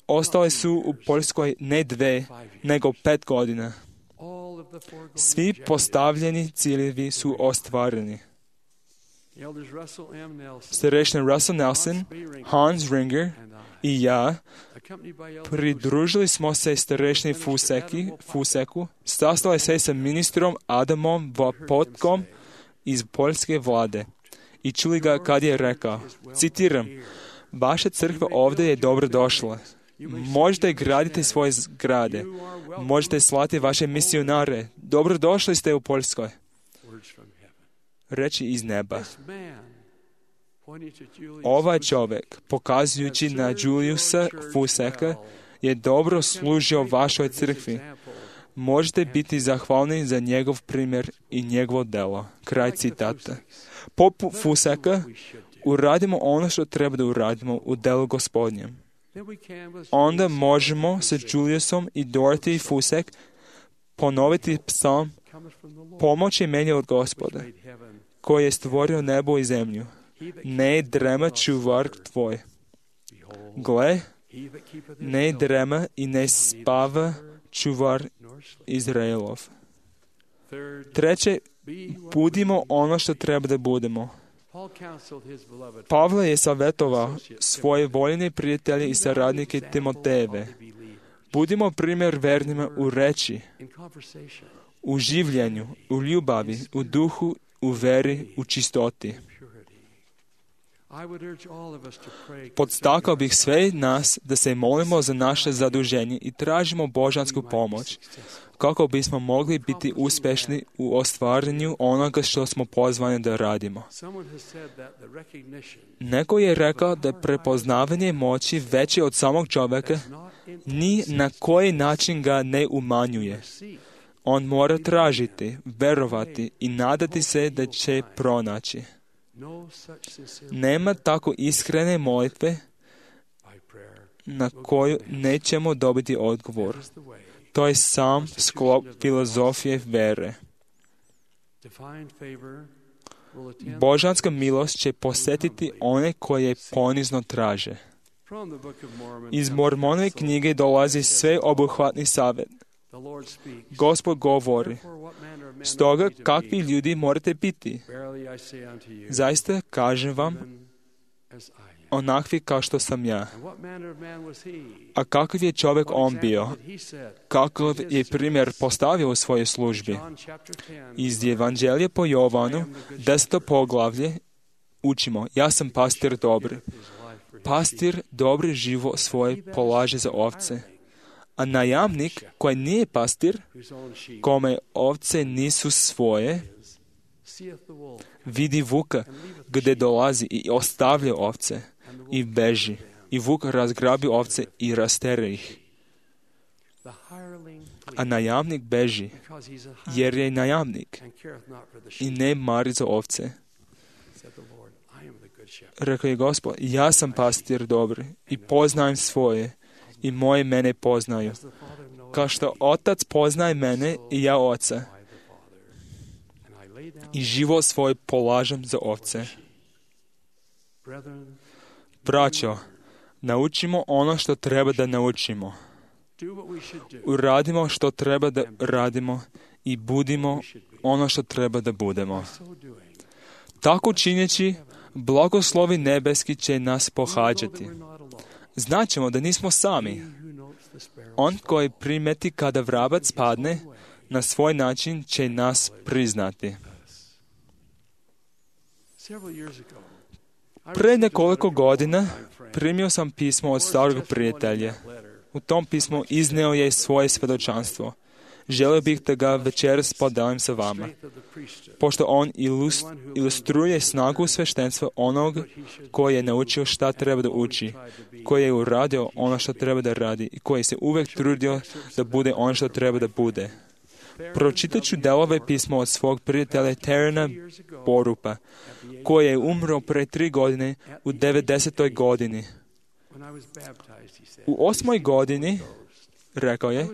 Ostali su u Poljskoj ne dve, nego pet godina. Svi postavljeni ciljevi su ostvareni. Starešina Russell Nelson, Hans Ringer i ja pridružili smo se starešini Fuseki, Fuseku, sastali se sa ministrom Adamom Vapotkom iz poljske vlade i čuli ga kad je rekao, citiram, vaša crkva ovdje je dobro došla. Možete graditi svoje zgrade. Možete slati vaše misionare. Dobrodošli ste u Poljskoj. Reči iz neba. Ovaj čovjek, pokazujući na Juliusa Fuseka, je dobro služio vašoj crkvi. Možete biti zahvalni za njegov primjer i njegovo delo. Kraj citata. Poput Fuseka, uradimo ono što treba da uradimo u delu Gospodnjem. Onda možemo sa Juliusom i Dorothy Fusek ponoviti psalm pomoć je meni od Gospoda, koji je stvorio nebo i zemlju. Ne drema čuvar tvoj. Gle, ne drema i ne spava čuvar Izraelov. Treće, budimo ono što treba da budemo. Pavle je savjetovao svoje voljene prijatelje i saradnike Timotejeve. Budimo primjer vernima u reči, u življenju, u ljubavi, u duhu, u veri, u čistoti. Podstakao bih sve nas da se molimo za naše zaduženje i tražimo božansku pomoć, kako bismo mogli biti uspješni u ostvarenju onoga što smo pozvani da radimo. Neko je rekao da je prepoznavanje moći veće od samog čovjeka, ni na koji način ga ne umanjuje. On mora tražiti, verovati i nadati se da će pronaći. Nema tako iskrene molitve na koju nećemo dobiti odgovor. To je sam sklop filozofije vere. Božanska milost će posjetiti one koje ponizno traže. Iz Mormonove knjige dolazi sveobuhvatni savjet. Gospod govori, stoga kakvi ljudi morate biti? Zaista kažem vam, onakvi kao što sam ja. A kakav je čovjek on bio? Kakav je primjer postavio u svojoj službi? Iz Evanđelja po Jovanu, deseto poglavlje, učimo, ja sam pastir dobri. Pastir dobri živo svoje polaže za ovce. A najamnik koji nije pastir, kome ovce nisu svoje, vidi vuka gdje dolazi i ostavlja ovce i beži. I vuk razgrabi ovce i rastere ih. A najamnik beži, jer je najamnik i ne mari za ovce. Rekao je Gospod, ja sam pastir dobri i poznajem svoje i moje mene poznaju. Kao što otac poznaje mene i ja oca. I život svoj polažem za ovce. Braćo, naučimo ono što treba da naučimo. Uradimo što treba da radimo i budimo ono što treba da budemo. Tako činjeći, blagoslovi nebeski će nas pohađati. Znaćemo da nismo sami. On koji primeti kada vrabac padne, na svoj način će nas priznati. Pre nekoliko godina primio sam pismo od starog prijatelja. U tom pismu izneo je svoje svjedočanstvo. Želio bih da ga večeras podelim sa vama, pošto on ilustruje snagu sveštenstva onog koji je naučio šta treba da uči, koji je uradio ono što treba da radi i koji se uvijek trudio da bude ono što treba da bude. Pročitat ću delove pisma od svog prijatelja Terena Borupa, koji je umro pre tri godine u devedesetoj godini. U osmoj godini, rekao je,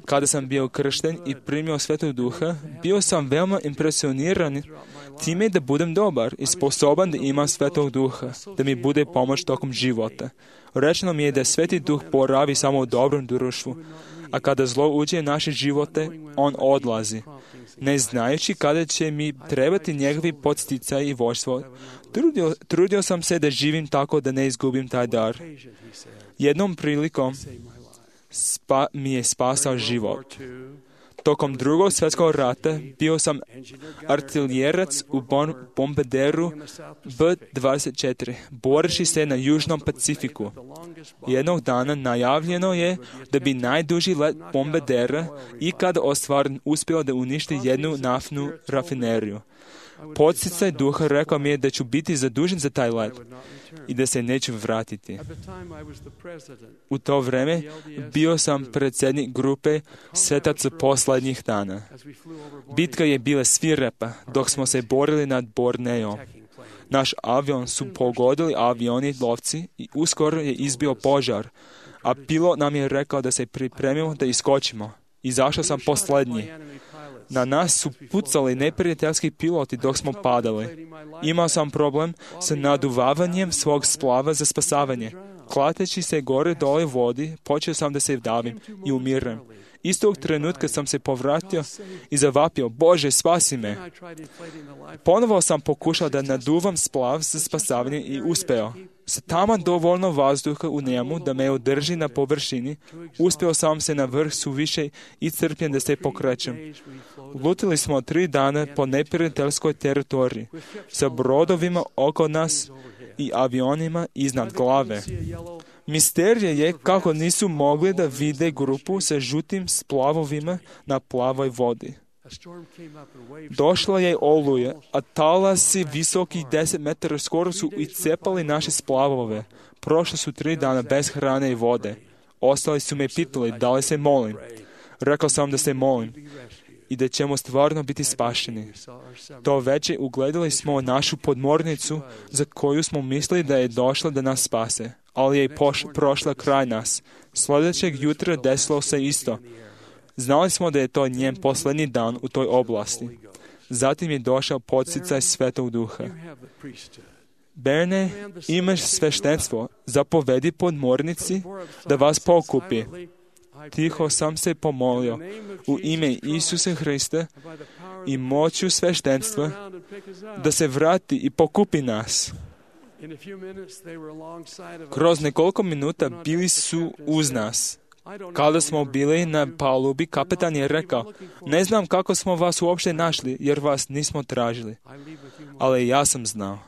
kada sam bio kršten i primio Svetog Duha, bio sam veoma impresioniran time da budem dobar i sposoban da imam Svetog Duha, da mi bude pomoć tokom života. Rečeno mi je da Sveti Duh boravi samo u dobrom društvu, a kada zlo uđe u naše živote, on odlazi. Ne znajući kada će mi trebati njegovi podsticaj i vođstvo, trudio, trudio sam se da živim tako da ne izgubim taj dar. Jednom prilikom spa, mi je spasao život. Tokom drugog svjetskog rata bio sam artiljerac u bombarderu B dvadeset četiri, boreći se na Južnom Pacifiku. Jednog dana najavljeno je da bi najduži let bombardera ikada ostvaren uspio da uništi jednu naftnu rafineriju. Podsticaj duha rekao mi je da ću biti zadužen za taj let i da se neću vratiti. U to vreme bio sam predsjednik grupe svetaca posljednjih dana. Bitka je bila svirepa dok smo se borili nad Borneom. Naš avion su pogodili avioni lovci i uskoro je izbio požar, a pilot nam je rekao da se pripremimo da iskočimo. Izašao sam posljednji. Na nas su pucali neprijateljski piloti dok smo padali. Imao sam problem sa naduvavanjem svog splava za spasavanje. Klateći se gore dole u vodi, počeo sam da se davim i umiram. Istog trenutka sam se povratio i zavapio, Bože, spasi me. Ponovo sam pokušao da naduvam splav za spasavanje i uspeo. Sa taman dovoljno vazduha u njemu da me održi na površini, uspeo sam se na vrh suviše i crpljen da se pokrećem. Lutili smo tri dana po neprijateljskoj teritoriji, sa brodovima oko nas i avionima iznad glave. Misterija je kako nisu mogli da vide grupu sa žutim splavovima na plavoj vodi. Došla je oluja, a talasi visoki deset metara skoro su iscepali naše splavove. Prošli su tri dana bez hrane i vode. Ostali su me pitali da li se molim. Rekao sam da se molim i da ćemo stvarno biti spašeni. To veće ugledali smo našu podmornicu za koju smo mislili da je došla da nas spase, ali je poš- prošla kraj nas. Sljedećeg jutra desilo se isto. Znali smo da je to njen posljednji dan u toj oblasti. Zatim je došao podsticaj Svetog Duha. Berne, imaš sveštenstvo, zapovedi podmornici da vas pokupi. Tiho sam se pomolio u ime Isusa Hrista i moću sveštenstva da se vrati i pokupi nas. Kroz nekoliko minuta bili su uz nas. Kada smo bili na palubi, kapetan je rekao, ne znam kako smo vas uopšte našli, jer vas nismo tražili. Ali ja sam znao.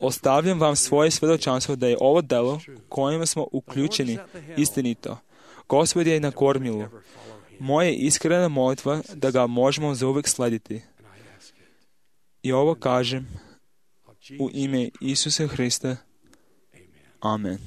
Ostavljam vam svoje svjedočanstvo da je ovo delo kojima smo uključeni istinito. Gospod je na kormilu. Moja je iskrena molitva da ga možemo zauvijek slediti. I ovo kažem u ime Isusa Hrista. Amen.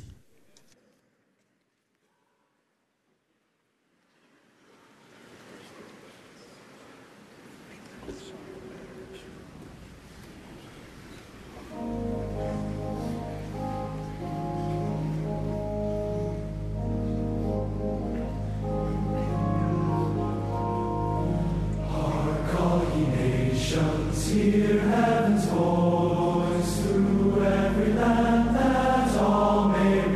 Hear heaven's voice through every land, that all may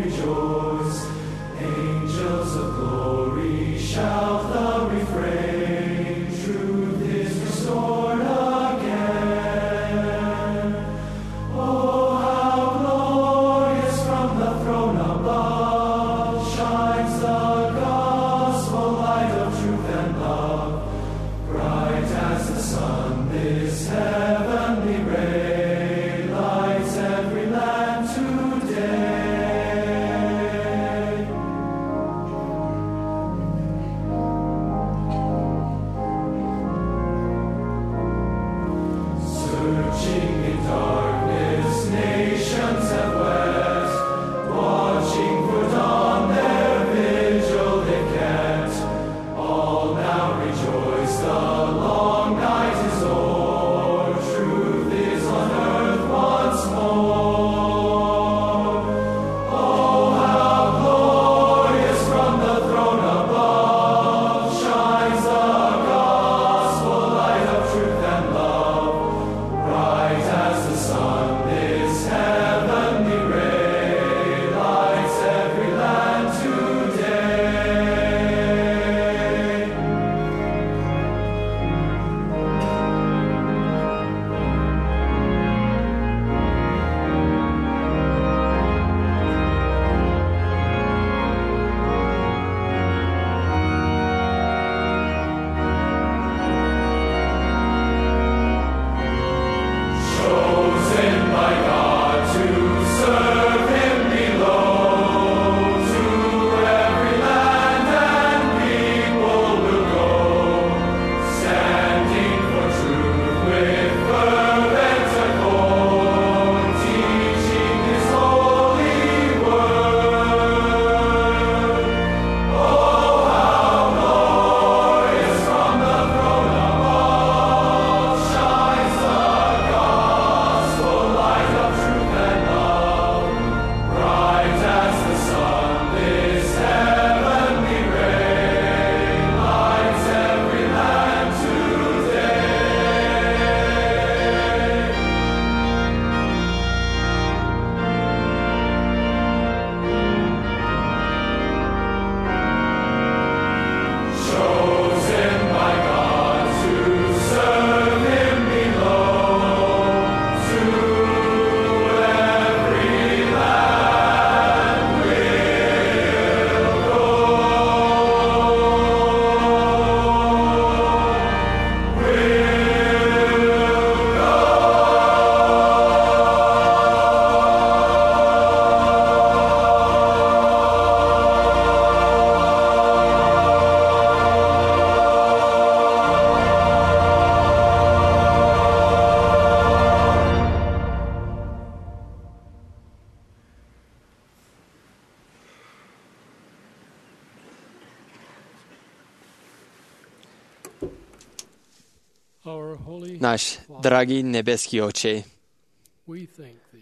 Naš dragi nebeski Oče,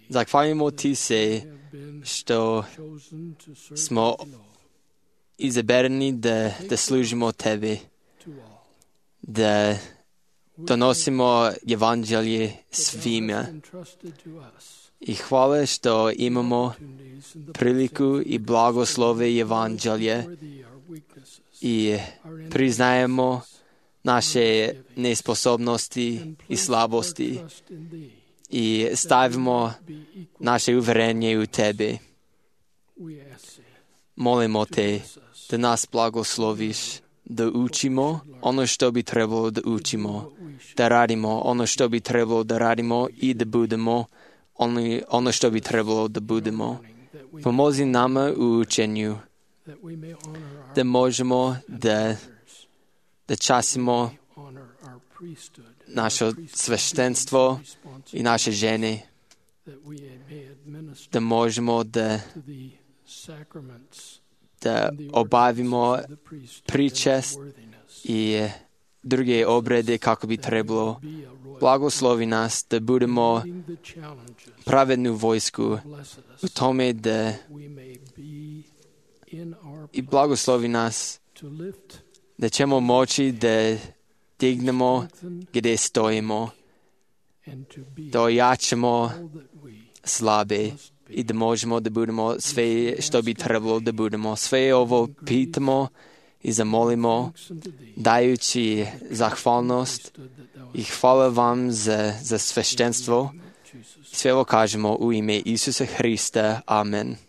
zahvaljujemo Ti se što smo izaberani da, da služimo Tebi, da donosimo evanđelje svima. I hvala što imamo priliku i blagoslove evanđelje i priznajemo naše nesposobnosti i slabosti i stavimo naše uvjerenje u Tebe. Molimo Te da nas blagosloviš, da učimo ono što bi trebalo da učimo, da radimo ono što bi trebalo da radimo i da budemo ono, ono što bi trebalo da budemo. Pomozi nama u učenju, da možemo da, da časimo naše sveštenstvo i naše žene, da možemo da, da obavimo pričest i druge obrede kako bi trebalo. Blagoslovi nas da budemo pravednu vojsku u tome da i blagoslovi nas da ćemo moći da dignemo gdje stojimo, da ojačamo slabe i da možemo da budemo sve što bi trebalo da budemo. Sve ovo pitamo i zamolimo dajući zahvalnost i hvala vam za, za sveštenstvo. Sve ovo kažemo u ime Isusa Hrista. Amen.